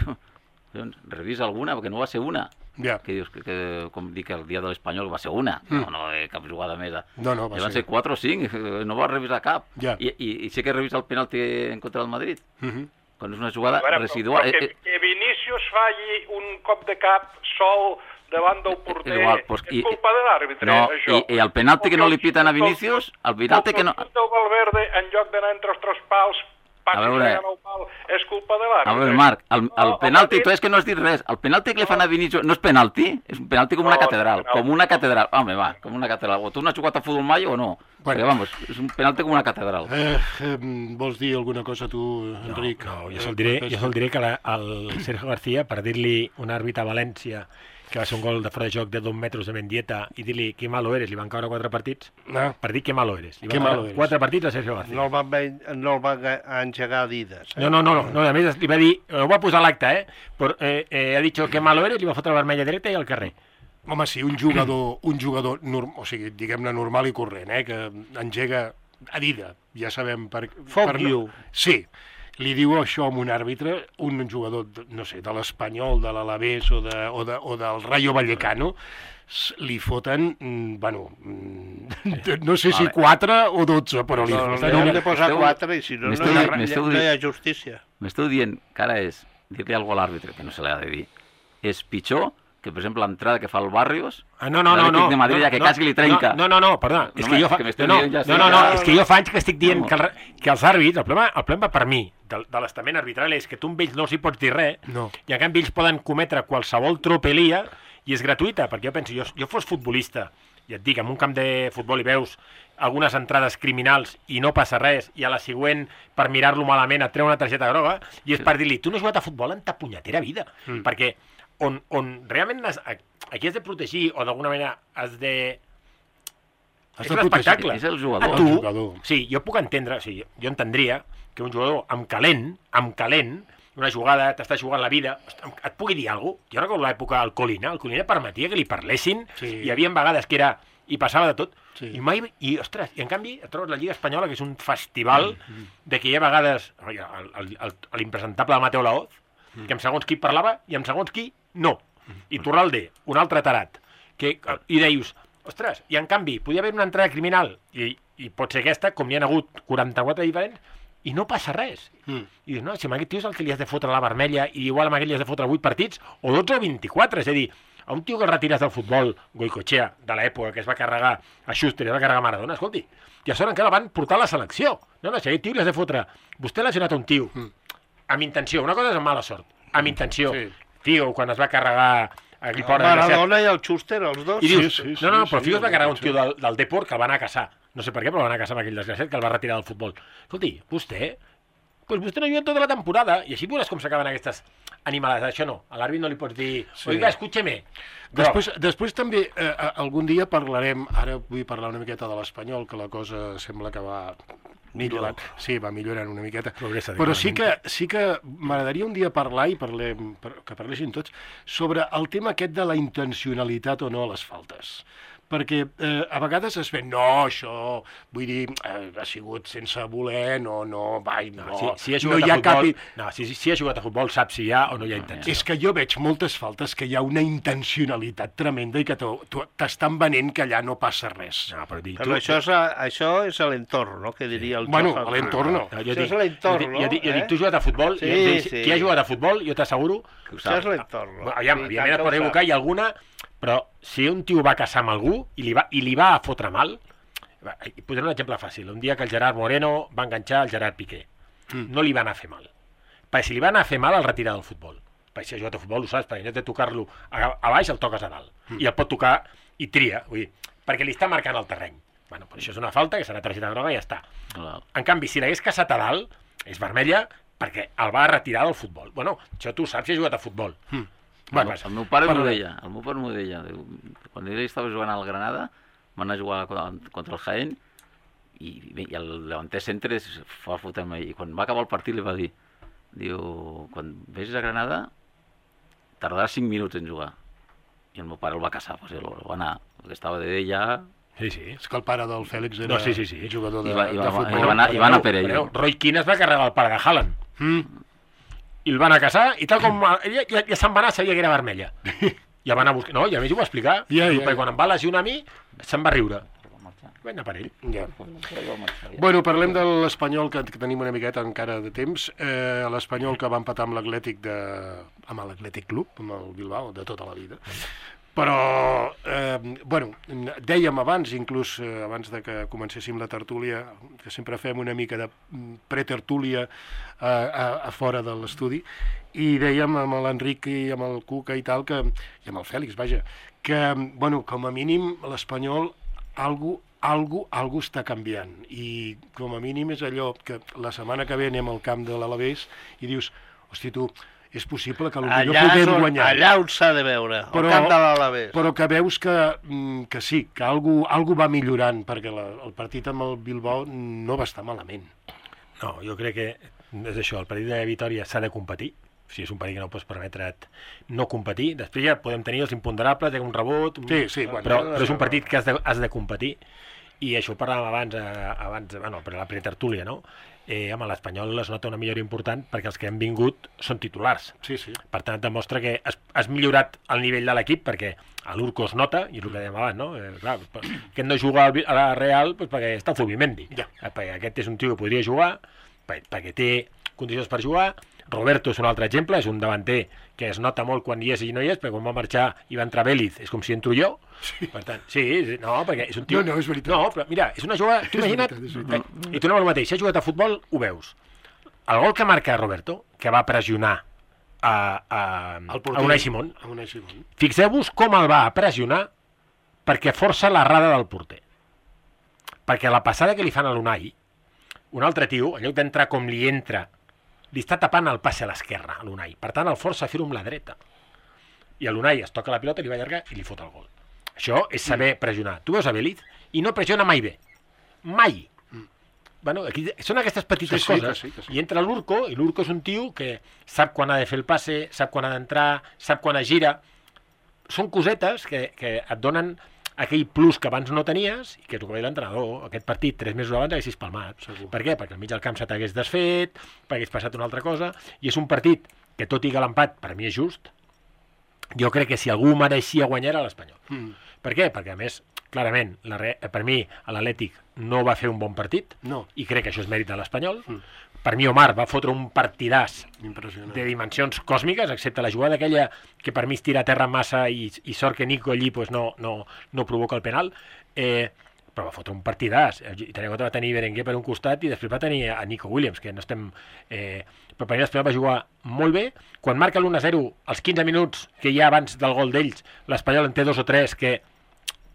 doncs, revisa alguna, perquè no va ser una. Ja. Que dius, que, que, com dic, el dia de l'Espanyol va ser una, Mm. no, no eh, cap jugada més. No, no, va Ja van ser- ser quatre o cinc, no va revisar cap. Ja. I, i, I sí que revisa el penalti en contra del Madrid, Mhm. quan és una jugada A veure, però- residual. però Eh, Que, que Vinícius falli un cop de cap sol davant del porter, igual, pues, és i- culpa de l'àrbitre, no, això. i- i el penalti que no li piten a Vinícius, el penalti que no... El del Valverde, en lloc d'anar entre els tres pals, A passi veure. el pal, és culpa de l'àrbitre. A veure, Marc, el, el No, penalti, home, tu és que no has dit res, el penalti que li fan a Vinícius no és penalti, és un penalti com una No, catedral, no. com una catedral, home, va, com una catedral. O tu no has jugat a futbol mai o no? Bueno. Perquè, vamos, és un penalti com una catedral. Eh, eh, vols dir alguna cosa tu, Enric? No, jo sol diré, jo sol diré que la, el Sergio García, per dir-li un àrbitre a València que va ser un gol de fora de joc de dos metres de Mendieta i dir-li que malo eres, li van caure quatre partits, No. per dir que malo eres. Li Que van malo caure eres. quatre partits a Sergio García. No el van, ve- no el van a- engegar a Adidas. Eh? No, no, no, no, no, a més li va dir, ho va posar a l'acte, eh? Però, eh, eh, ha dit que malo eres, li va fotre la vermella dreta i al carrer. Home, sí, un jugador, un jugador norm, o sigui, diguem-ne normal i corrent, eh, que engega a dida, ja sabem per... Fuck per you. Sí, li diu això a un àrbitre, un jugador, de- no sé, de l'Espanyol, de l'Alavés o, de, o, de, o del Rayo Vallecano, s- li foten, mm, bueno, mm, no sé si Vale. quatre o dotze, però li No, no, foten... li han una- de posar M'esteu- quatre i si no, no m'esteu hi ha, di- m'esteu no hi ha di- justícia. M'esteu dient que ara és dir-li alguna cosa a l'àrbitre, que no se l'ha de dir, és pitjor que, per exemple, l'entrada que fa el Barrios, Ah, no, no, no, l'Atlètic no. de Madrid, no, ja que no, quasi li trenca. No, no, no, perdona, és No, que jo home, fa... que m'esteu No, no, dient ja no, no, sí, no, ja. és que jo fa anys que estic dient No. que, el, re- que els àrbits, el problema, el problema per mi, de, de l'estament arbitral, és que tu amb ells no els hi pots dir res, No. i en canvi ells poden cometre qualsevol tropelia i és gratuïta, perquè jo penso, jo, jo fos futbolista, i et dic, en un camp de futbol hi veus algunes entrades criminals i no passa res, i a la següent, per mirar-lo malament, et treu una targeta groga, i és per dir-li, tu no has jugat a futbol en ta punyetera vida, Mm. perquè on, on realment has, aquí has de protegir, o d'alguna manera has de... Has és de un protegir. espectacle. És el jugador. A El tu, jugador. sí, jo puc entendre, o sigui, jo entendria que un jugador amb calent, amb calent, una jugada, t'està jugant la vida, et pugui dir alguna cosa. Jo recordo l'època del Colina, el Colina permetia que li parlessin, Sí. hi havia vegades que era, i passava de tot, Sí. i mai, i ostres, i en canvi et trobes la Lliga Espanyola, que és un festival de que hi ha vegades, oi, el- el- el- l'impresentable de Mateo Laoz, que amb segons qui parlava i amb segons qui no. I Torralde, un altre tarat, que, i deius, ostres, i en canvi, podia haver una entrada criminal, i, i pot ser aquesta, com n'hi ha hagut quaranta-quatre diferents, i no passa res. Mm. I dius, no, si amb aquest tio és el que li has de fotre la vermella, i igual amb aquell li has de fotre vuit partits, o dotze o vint-i-quatre, és a dir, a un tio que el retires del futbol, Goicoechea, de l'època que es va carregar a Schuster, es va carregar a Maradona, escolti, i a sobre encara van portar a la selecció. No, no, si a aquest tio li has de fotre... Vostè l'ha lesionat a un tio, amb intenció, una cosa és amb mala sort, amb intenció. Sí. Tio, quan es va carregar aquell El pobre desgraciat, Maradona i el Schuster, els dos. i dius, Sí, sí, no, no, sí, però sí, Figo es va sí, carregar un sí. tio del, del Depor que el va anar a caçar. No sé per què, però el va anar a caçar amb aquell desgraciat que el va retirar del futbol. Escolti, vostè, pues vostè no ha jugat tota la temporada, i així veuràs com s'acaben aquestes animalades. Això no, a l'àrbit no li pots dir, Sí. oiga, escúcheme. Després, després també, eh, algun dia parlarem, ara vull parlar una miqueta de l'Espanyol, que la cosa sembla que va millorant. Sí, va millorant una miqueta. Progressa, Però sí que, sí que m'agradaria un dia parlar, i parlem, per- que parlessin tots, sobre el tema aquest de la intencionalitat o no a les faltes. Perquè eh, a vegades es ve, no, això, vull dir, eh, ha sigut sense voler, no, no, vai, no, No, si, si ha no jugat hi a ha futbol, cap... i- no, si, si, si ha jugat a futbol sap si hi ha o no hi ha intenció. És que jo veig moltes faltes que hi ha una intencionalitat tremenda i que t'ho- t'ho- t'estan venent que allà no passa res. No, però, dir, Però això és, a- això és l'entorn, no?, que diria el Bueno, Johan. a l'entorn no. No, Això és l'entorn, jo, dic- jo, dic- jo no? dic, tu has jugat a futbol, Sí, i em dius, sí. qui ha jugat a futbol, jo t'asseguro... Que ho Això és sap. l'entorn. Bueno, aviam, Sí, evidentment et tant pot que ho equivocar, sap. i alguna... Però si un tio va casar amb algú i li va, i li va a fotre mal... Va, i posaré un exemple fàcil. Un dia que el Gerard Moreno va enganxar el Gerard Piqué. Mm. No li va anar a fer mal. Perquè si li va anar a fer mal, el retira del futbol. Perquè si ha jugat a futbol, ho saps, perquè en lloc de tocar-lo a, a baix, el toques a dalt. Mm. I el pot tocar i tria, vull dir, perquè li està marcant el terreny. Bueno, però això és una falta, que serà targeta groga i ja està. Clar. En canvi, si l'hagués caçat a dalt, és vermella perquè el va retirar del futbol. Bueno, això tu saps si ha jugat a futbol. Mm. Bueno, El meu pare m'ho Parla. deia, el meu pare m'ho deia. Diu, quan ell estava jugant al Granada, van anar a jugar contra el Jaén, i, i el davanter centre fa fotre-me, i quan va acabar el partit li va dir, diu, quan vegis a Granada tardarà cinc minuts en jugar. I el meu pare el va caçar, pues, el, el va anar, perquè estava de ja... Sí, sí. És que el pare del Fèlix era no, sí, sí, sí. jugador de, I va, i va, de futbol. I va anar, i va anar per ell. Però, Roy Keane es va carregar el pare de Haaland. Mm. I el van a caçar, i tal com... Ella ja, ja se'n va anar, sabia que era vermella. I el van a buscar... No, i a més ho va explicar. Ja, ja, perquè ja. quan em va lesionar a mi, se'n va riure. Vaig anar per ell. Ja. Bueno, parlem de l'Espanyol, que, que tenim una miqueta encara de temps. Eh, L'Espanyol que va empatar amb l'Atlètic de... amb l'Atlètic Club, amb el Bilbao, de tota la vida. Però, eh, bueno, dèiem abans, inclús eh, abans de que comencéssim la tertúlia, que sempre fem una mica de pretertúlia a, a, a fora de l'estudi, i dèiem amb l'Enric i amb el Cuca i tal, que, i amb el Fèlix, vaja, que, bueno, com a mínim l'Espanyol algú, algú, algú està canviant, i com a mínim és allò que la setmana que ve anem al camp de l'Alavés i dius, hosti tu, és possible que potser podem guanyar. Allà on s'ha de veure, però, al camp de l'Alavés. Però que veus que, que sí, que algú, algú va millorant, perquè la, el partit amb el Bilbao no va estar malament. No, jo crec que és això, el partit de Vitòria s'ha de competir, o sigui, és un partit que no pots permetre't no competir, després ja podem tenir els imponderables, un rebot, sí, sí, bueno, però, però és un partit que has de, has de competir, i això ho parlàvem abans, eh, abans bueno, per la pretertúlia, no? Eh, amb l'Espanyol es nota una millora important perquè els que han vingut són titulars. Sí, sí. Per tant, demostra que has, has millorat el nivell de l'equip perquè a l'Urco es nota, i és el que dèiem abans, no? Eh, clar, aquest no juga a la Real pues, perquè està el Zubimendi. Ja. Eh, perquè aquest és un tio que podria jugar, perquè, perquè té condicions per jugar. Roberto és un altre exemple, és un davanter que es nota molt quan hi és i no hi és, perquè quan va marxar i va entrar Vélez, és com si entro jo. Sí. Per tant, sí, no, perquè és un tio... No, no, és veritat. No, però mira, és una jugada... Tu imagina't... És veritat, és veritat. I tornem al mateix, si has jugat a futbol, ho veus. El gol que marca Roberto, que va pressionar a, a, a Unai Simón, a Unai Simón. Fixeu-vos com el va pressionar perquè força l'errada del porter. Perquè la passada que li fan a l'Unai, un altre tio, en lloc d'entrar com li entra, li està tapant el passe a l'esquerra, a l'Unai. Per tant, el força a fer-ho amb la dreta. I a l'Unai es toca la pilota, li va allargar i li fot el gol. Això és saber pressionar. Tu veus a Vélez i no pressiona mai bé. Mai. Mm. Bueno, aquí són aquestes petites sí, sí, coses. que sí, que sí. I entra l'Urco, i l'Urco és un tio que sap quan ha de fer el passe, sap quan ha d'entrar, sap quan es gira. Són cosetes que, que et donen aquell plus que abans no tenies, i que és el que va dir l'entrenador, aquest partit, tres mesos abans, haguessis palmat. Segur. Per què? Perquè al mig del camp se t'hagués desfet, perquè hagués passat una altra cosa, i és un partit que, tot i que l'empat, per mi és just, jo crec que si algú mereixia guanyar era l'Espanyol. Mm. Per què? Perquè, a més, clarament, la re... per mi, l'Atlètic no va fer un bon partit, no. I crec que això és mèrit de l'Espanyol. Mm. Per mi, Omar va fotre un partidàs de dimensions còsmiques, excepte la jugada aquella que per mi es tira a terra massa i, i sort que Nico allí pues, no, no, no provoca el penal, eh, però va fotre un partidàs. I tenia compte va tenir Berenguer per un costat i després va tenir a Nico Williams, que no estem... Eh, però per mi l'Espanyol va jugar molt bé. Quan marca l'u a zero, als quinze minuts que hi ha abans del gol d'ells, l'Espanyol en té dos o tres que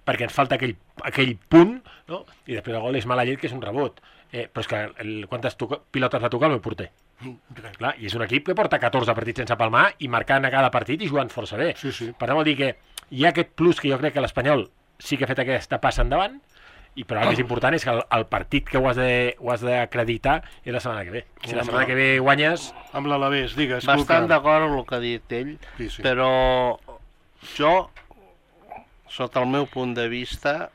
perquè ens falta aquell, aquell punt, no? I després el gol és mala llet, que és un rebot. Eh, però és que el, quantes toca, pilotes va tocar el meu porter? Clar, i és un equip que porta catorze partits sense palmar i marcant a cada partit i jugant força bé. Sí, sí. Per tant, vol dir que hi ha aquest plus que jo crec que l'Espanyol sí que ha fet aquesta passa endavant, i però el més important és que el, el partit que ho has, de, ho has d'acreditar és la setmana que ve. Si la setmana que ve guanyes... Amb l'Alavés, digues. Bastant d'acord amb el que ha dit ell, sí, sí. Però jo, sota el meu punt de vista,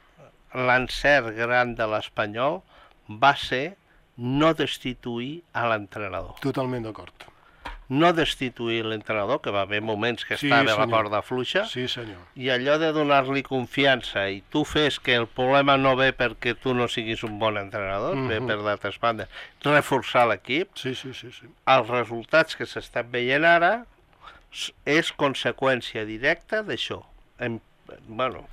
l'encert gran de l'Espanyol va ser no destituir a l'entrenador. Totalment d'acord. No destituir l'entrenador, que va haver moments que sí, estava a la corda fluixa, sí, senyor. I allò de donar-li confiança i tu fes que el problema no ve perquè tu no siguis un bon entrenador, mm-hmm. ve per d'altres bandes, reforçar l'equip, sí, sí, sí, sí. Els resultats que s'estan veient ara és conseqüència directa d'això. Bueno,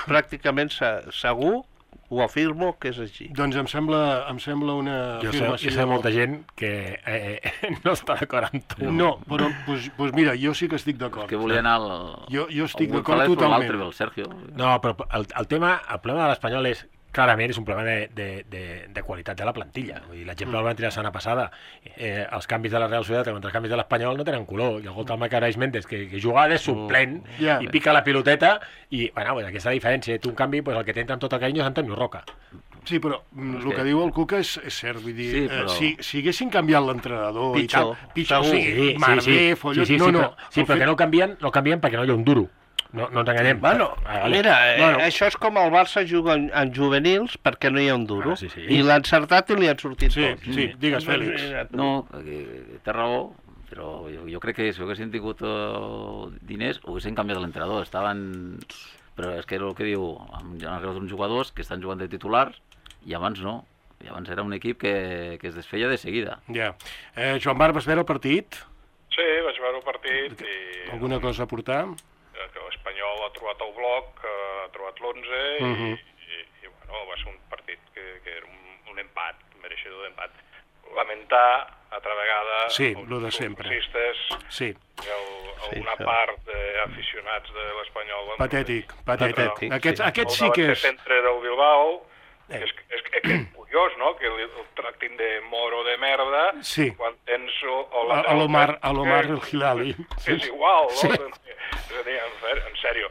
pràcticament segur ho afirmo que és així. Doncs em sembla, em sembla una jo afirmació... Sé, jo sé molta gent que eh, no està d'acord amb tu. No, però pues, pues mira, jo sí que estic d'acord. És que volia anar al... Jo, jo estic d'acord totalment. El Sergio. No, però el, el tema, el problema de l'Espanyol és, clarament, és un problema de, de, de, de qualitat de la plantilla. L'exemple el van tirar la setmana passada. Eh, els canvis de la Real Societat contra els canvis de l'Espanyol no tenen color. I el gol del Macarés Méndez, que, que juga de suplent mm. yeah. i pica la piloteta, i, bueno, pues, aquesta diferència. Tu, en canvi, pues, el que t'entra amb tot el carinyo és Antonio Roca. Sí, però el que, que diu el Cuca és, és cert, vull dir, sí, però... eh, si, si haguessin canviat l'entrenador i tal, pitjor, sí, sí, sí, Marvé, sí, sí, Folló, sí, sí, no, sí, no. Però, sí, però fet... que no canvien, no canvien perquè no hi ha un duro. No, no ens enganyem. Bueno, ah, vale. mira, eh, bueno. això és com el Barça juga en, en juvenils perquè no hi ha un duro. Ah, sí, sí. I l'ha encertat i li han sortit sí, tots. Sí, sí, digues, Fèlix. No, té raó, però jo, jo crec que si haguessin tingut uh, diners, haguessin canviat l'entrenador. Estaven... Però és que era el que diu, hi ha uns jugadors que estan jugant de titulars i abans no. I abans era un equip que, que es desfeia de seguida. Ja. Eh, Joan Bar, vas veure el partit? Sí, vaig veure el partit i... Alguna cosa a portar? Que l'Espanyol ha trobat el bloc, ha trobat l'onze i, uh -huh. i, i, bueno, va ser un partit que, que era un, un empat, un mereixedor d'empat. Lamentar, altra vegada, sí, el de sempre. Sí. El, una sí, part d'aficionats de l'Espanyol... Patètic, patètic. No, Aquests, sí. aquests sí que és... El centre del Bilbao, eh. és, és, és, és curiós, no?, que el, el tractin de moro de merda sí. quan tens... A l'Omar, a l'Omar el Hilali. Que és igual, no? Sí. És a dir, en sèrio,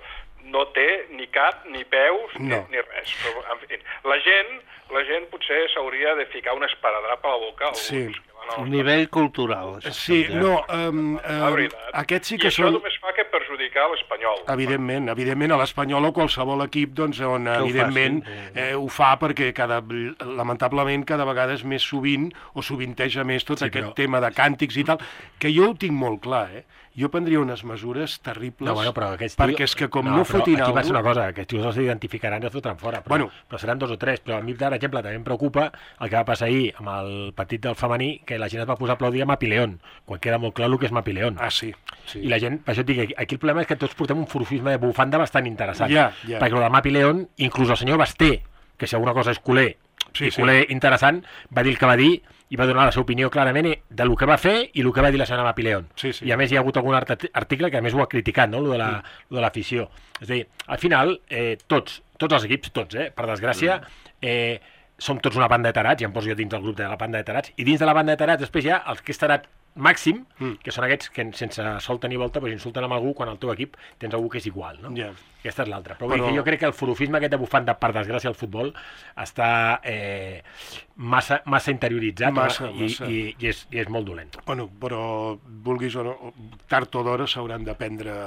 no té ni cap, ni peus, no. ni, ni res. Però, en fi, la gent, la gent potser s'hauria de ficar un esparadrap a la boca alguns sí. que van a un nivell cultural. Sí, no, um, um, aquests sí que I això són... només fa que perjudicar l'Espanyol. Evidentment, evidentment, a l'Espanyol o qualsevol equip, doncs, on que evidentment ho, eh, ho fa perquè cada, lamentablement cada vegada és més sovint o sovinteja més tot sí, aquest però... tema de càntics i tal, que jo ho tinc molt clar, eh? Jo prendria unes mesures terribles no, bueno, però tio... perquè és que com no, no fotin algú... Aquí va ser una algú... cosa, aquests tios els identificaran i els fotran fora, però, bueno. però seran dos o tres. Però a mi, per exemple, també em preocupa el que va passar ahir amb el partit del femení, que la gent es va posar a aplaudir a Mapileón, quan queda molt clar el que és Mapileón. Ah, sí. sí. I la gent, per això et dic, aquí el problema és que tots portem un forofisme de bufanda bastant interessant. Ja, ja. Perquè el de Mapileón, inclús el senyor Basté, que si alguna cosa és culer, sí, i culer sí. interessant, va dir el que va dir i va donar la seva opinió clarament de lo que va fer i el que va dir la senyora Mapileón. Sí, sí. I a més hi ha hagut algun article que a més ho ha criticat, no?, lo de la, lo de l'afició. És a dir, al final, eh, tots, tots els equips, tots, eh, per desgràcia, eh, som tots una banda de tarats, ja em poso jo dins del grup de la banda de tarats, i dins de la banda de tarats després hi ha els que és tarat màxim, mm. que són aquests que sense solta ni volta pues, insulten amb algú quan al teu equip tens algú que és igual, no? Yeah. Aquesta és l'altra. Però, Però... Que jo crec que el forofisme aquest de bufanda, per desgràcia, al futbol està eh, massa, massa interioritzat massa, i, massa. I, i, és, i és molt dolent. Bueno, però vulguis o no, tard o d'hora s'hauran de prendre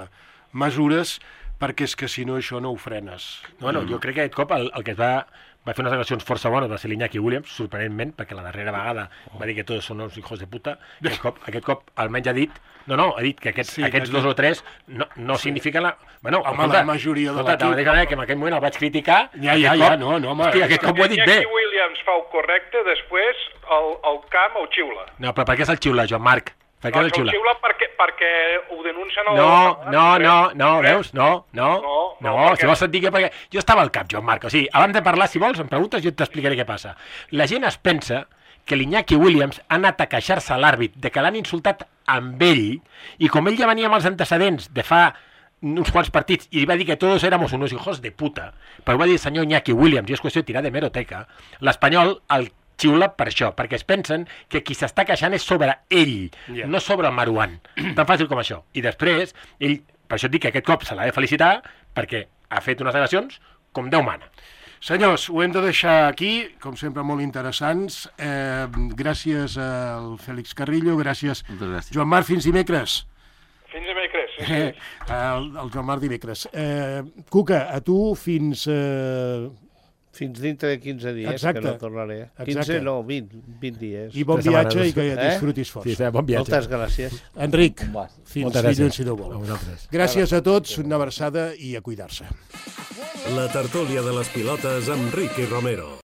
mesures perquè és que si no això no ho frenes. Bueno, mm. jo crec que aquest cop el, el que es va... va fer unes declaracions força bones, va ser l'Iñaki Williams, sorprenentment, perquè la darrera vegada va dir que tots són uns hijos de puta. Aquest cop, aquest cop almenys ha dit, no, no, ha dit que aquests, sí, aquests que dos o tres no, no sí. signifiquen la... Bueno, home, escolta, la majoria de l'equip... De la mateixa manera que en aquell moment el vaig criticar... Ja, ja, ja, no, no, home... Hòstia, aquest cop ho he dit bé. Iñaki Williams fa el correcte, després el, el camp el xiula. No, però per què se'l xiula, Joan Marc? Per què no, el xiula? El xiula perquè, perquè ho denuncien... El... No, no, no, no, veus? No, no, no, no, no si vols sentir que... Perquè... Jo estava al cap, Joan Marc, o sigui, abans de parlar, si vols, em preguntes, jo t'explicaré què passa. La gent es pensa que l'Iñaki Williams ha anat a queixar-se a l'àrbit de que l'han insultat amb ell, i com ell ja venia amb els antecedents de fa uns quants partits i va dir que tots éramos unos hijos de puta, però ho va dir el senyor Iñaki Williams, i és qüestió de tirar de meroteca, l'Espanyol, el xiula per això, perquè es pensen que qui s'està queixant és sobre ell, yeah. no sobre el Marouane. Tan fàcil com això. I després, ell, per això et dic que aquest cop se l'ha de felicitar, perquè ha fet unes declaracions com Déu mana. Senyors, ho hem de deixar aquí, com sempre molt interessants. Eh, gràcies al Fèlix Carrillo, gràcies, gràcies. Joan Marc, fins dimecres. Fins dimecres, sí. Eh, el, el Joan Marc dimecres. Eh, Cuca, a tu fins... Eh... Fins dintre de quinze dies, exacte, que no tornaré. quinze, exacte. No, vint, vint dies. I bon viatge i que ja disfrutis força. Sí, sí, bon viatge. Moltes gràcies. Enric, fins dilluns si no vol. Gràcies a tots, una abraçada i a cuidar-se. La tertúlia de les pilotes amb Ricky Romero.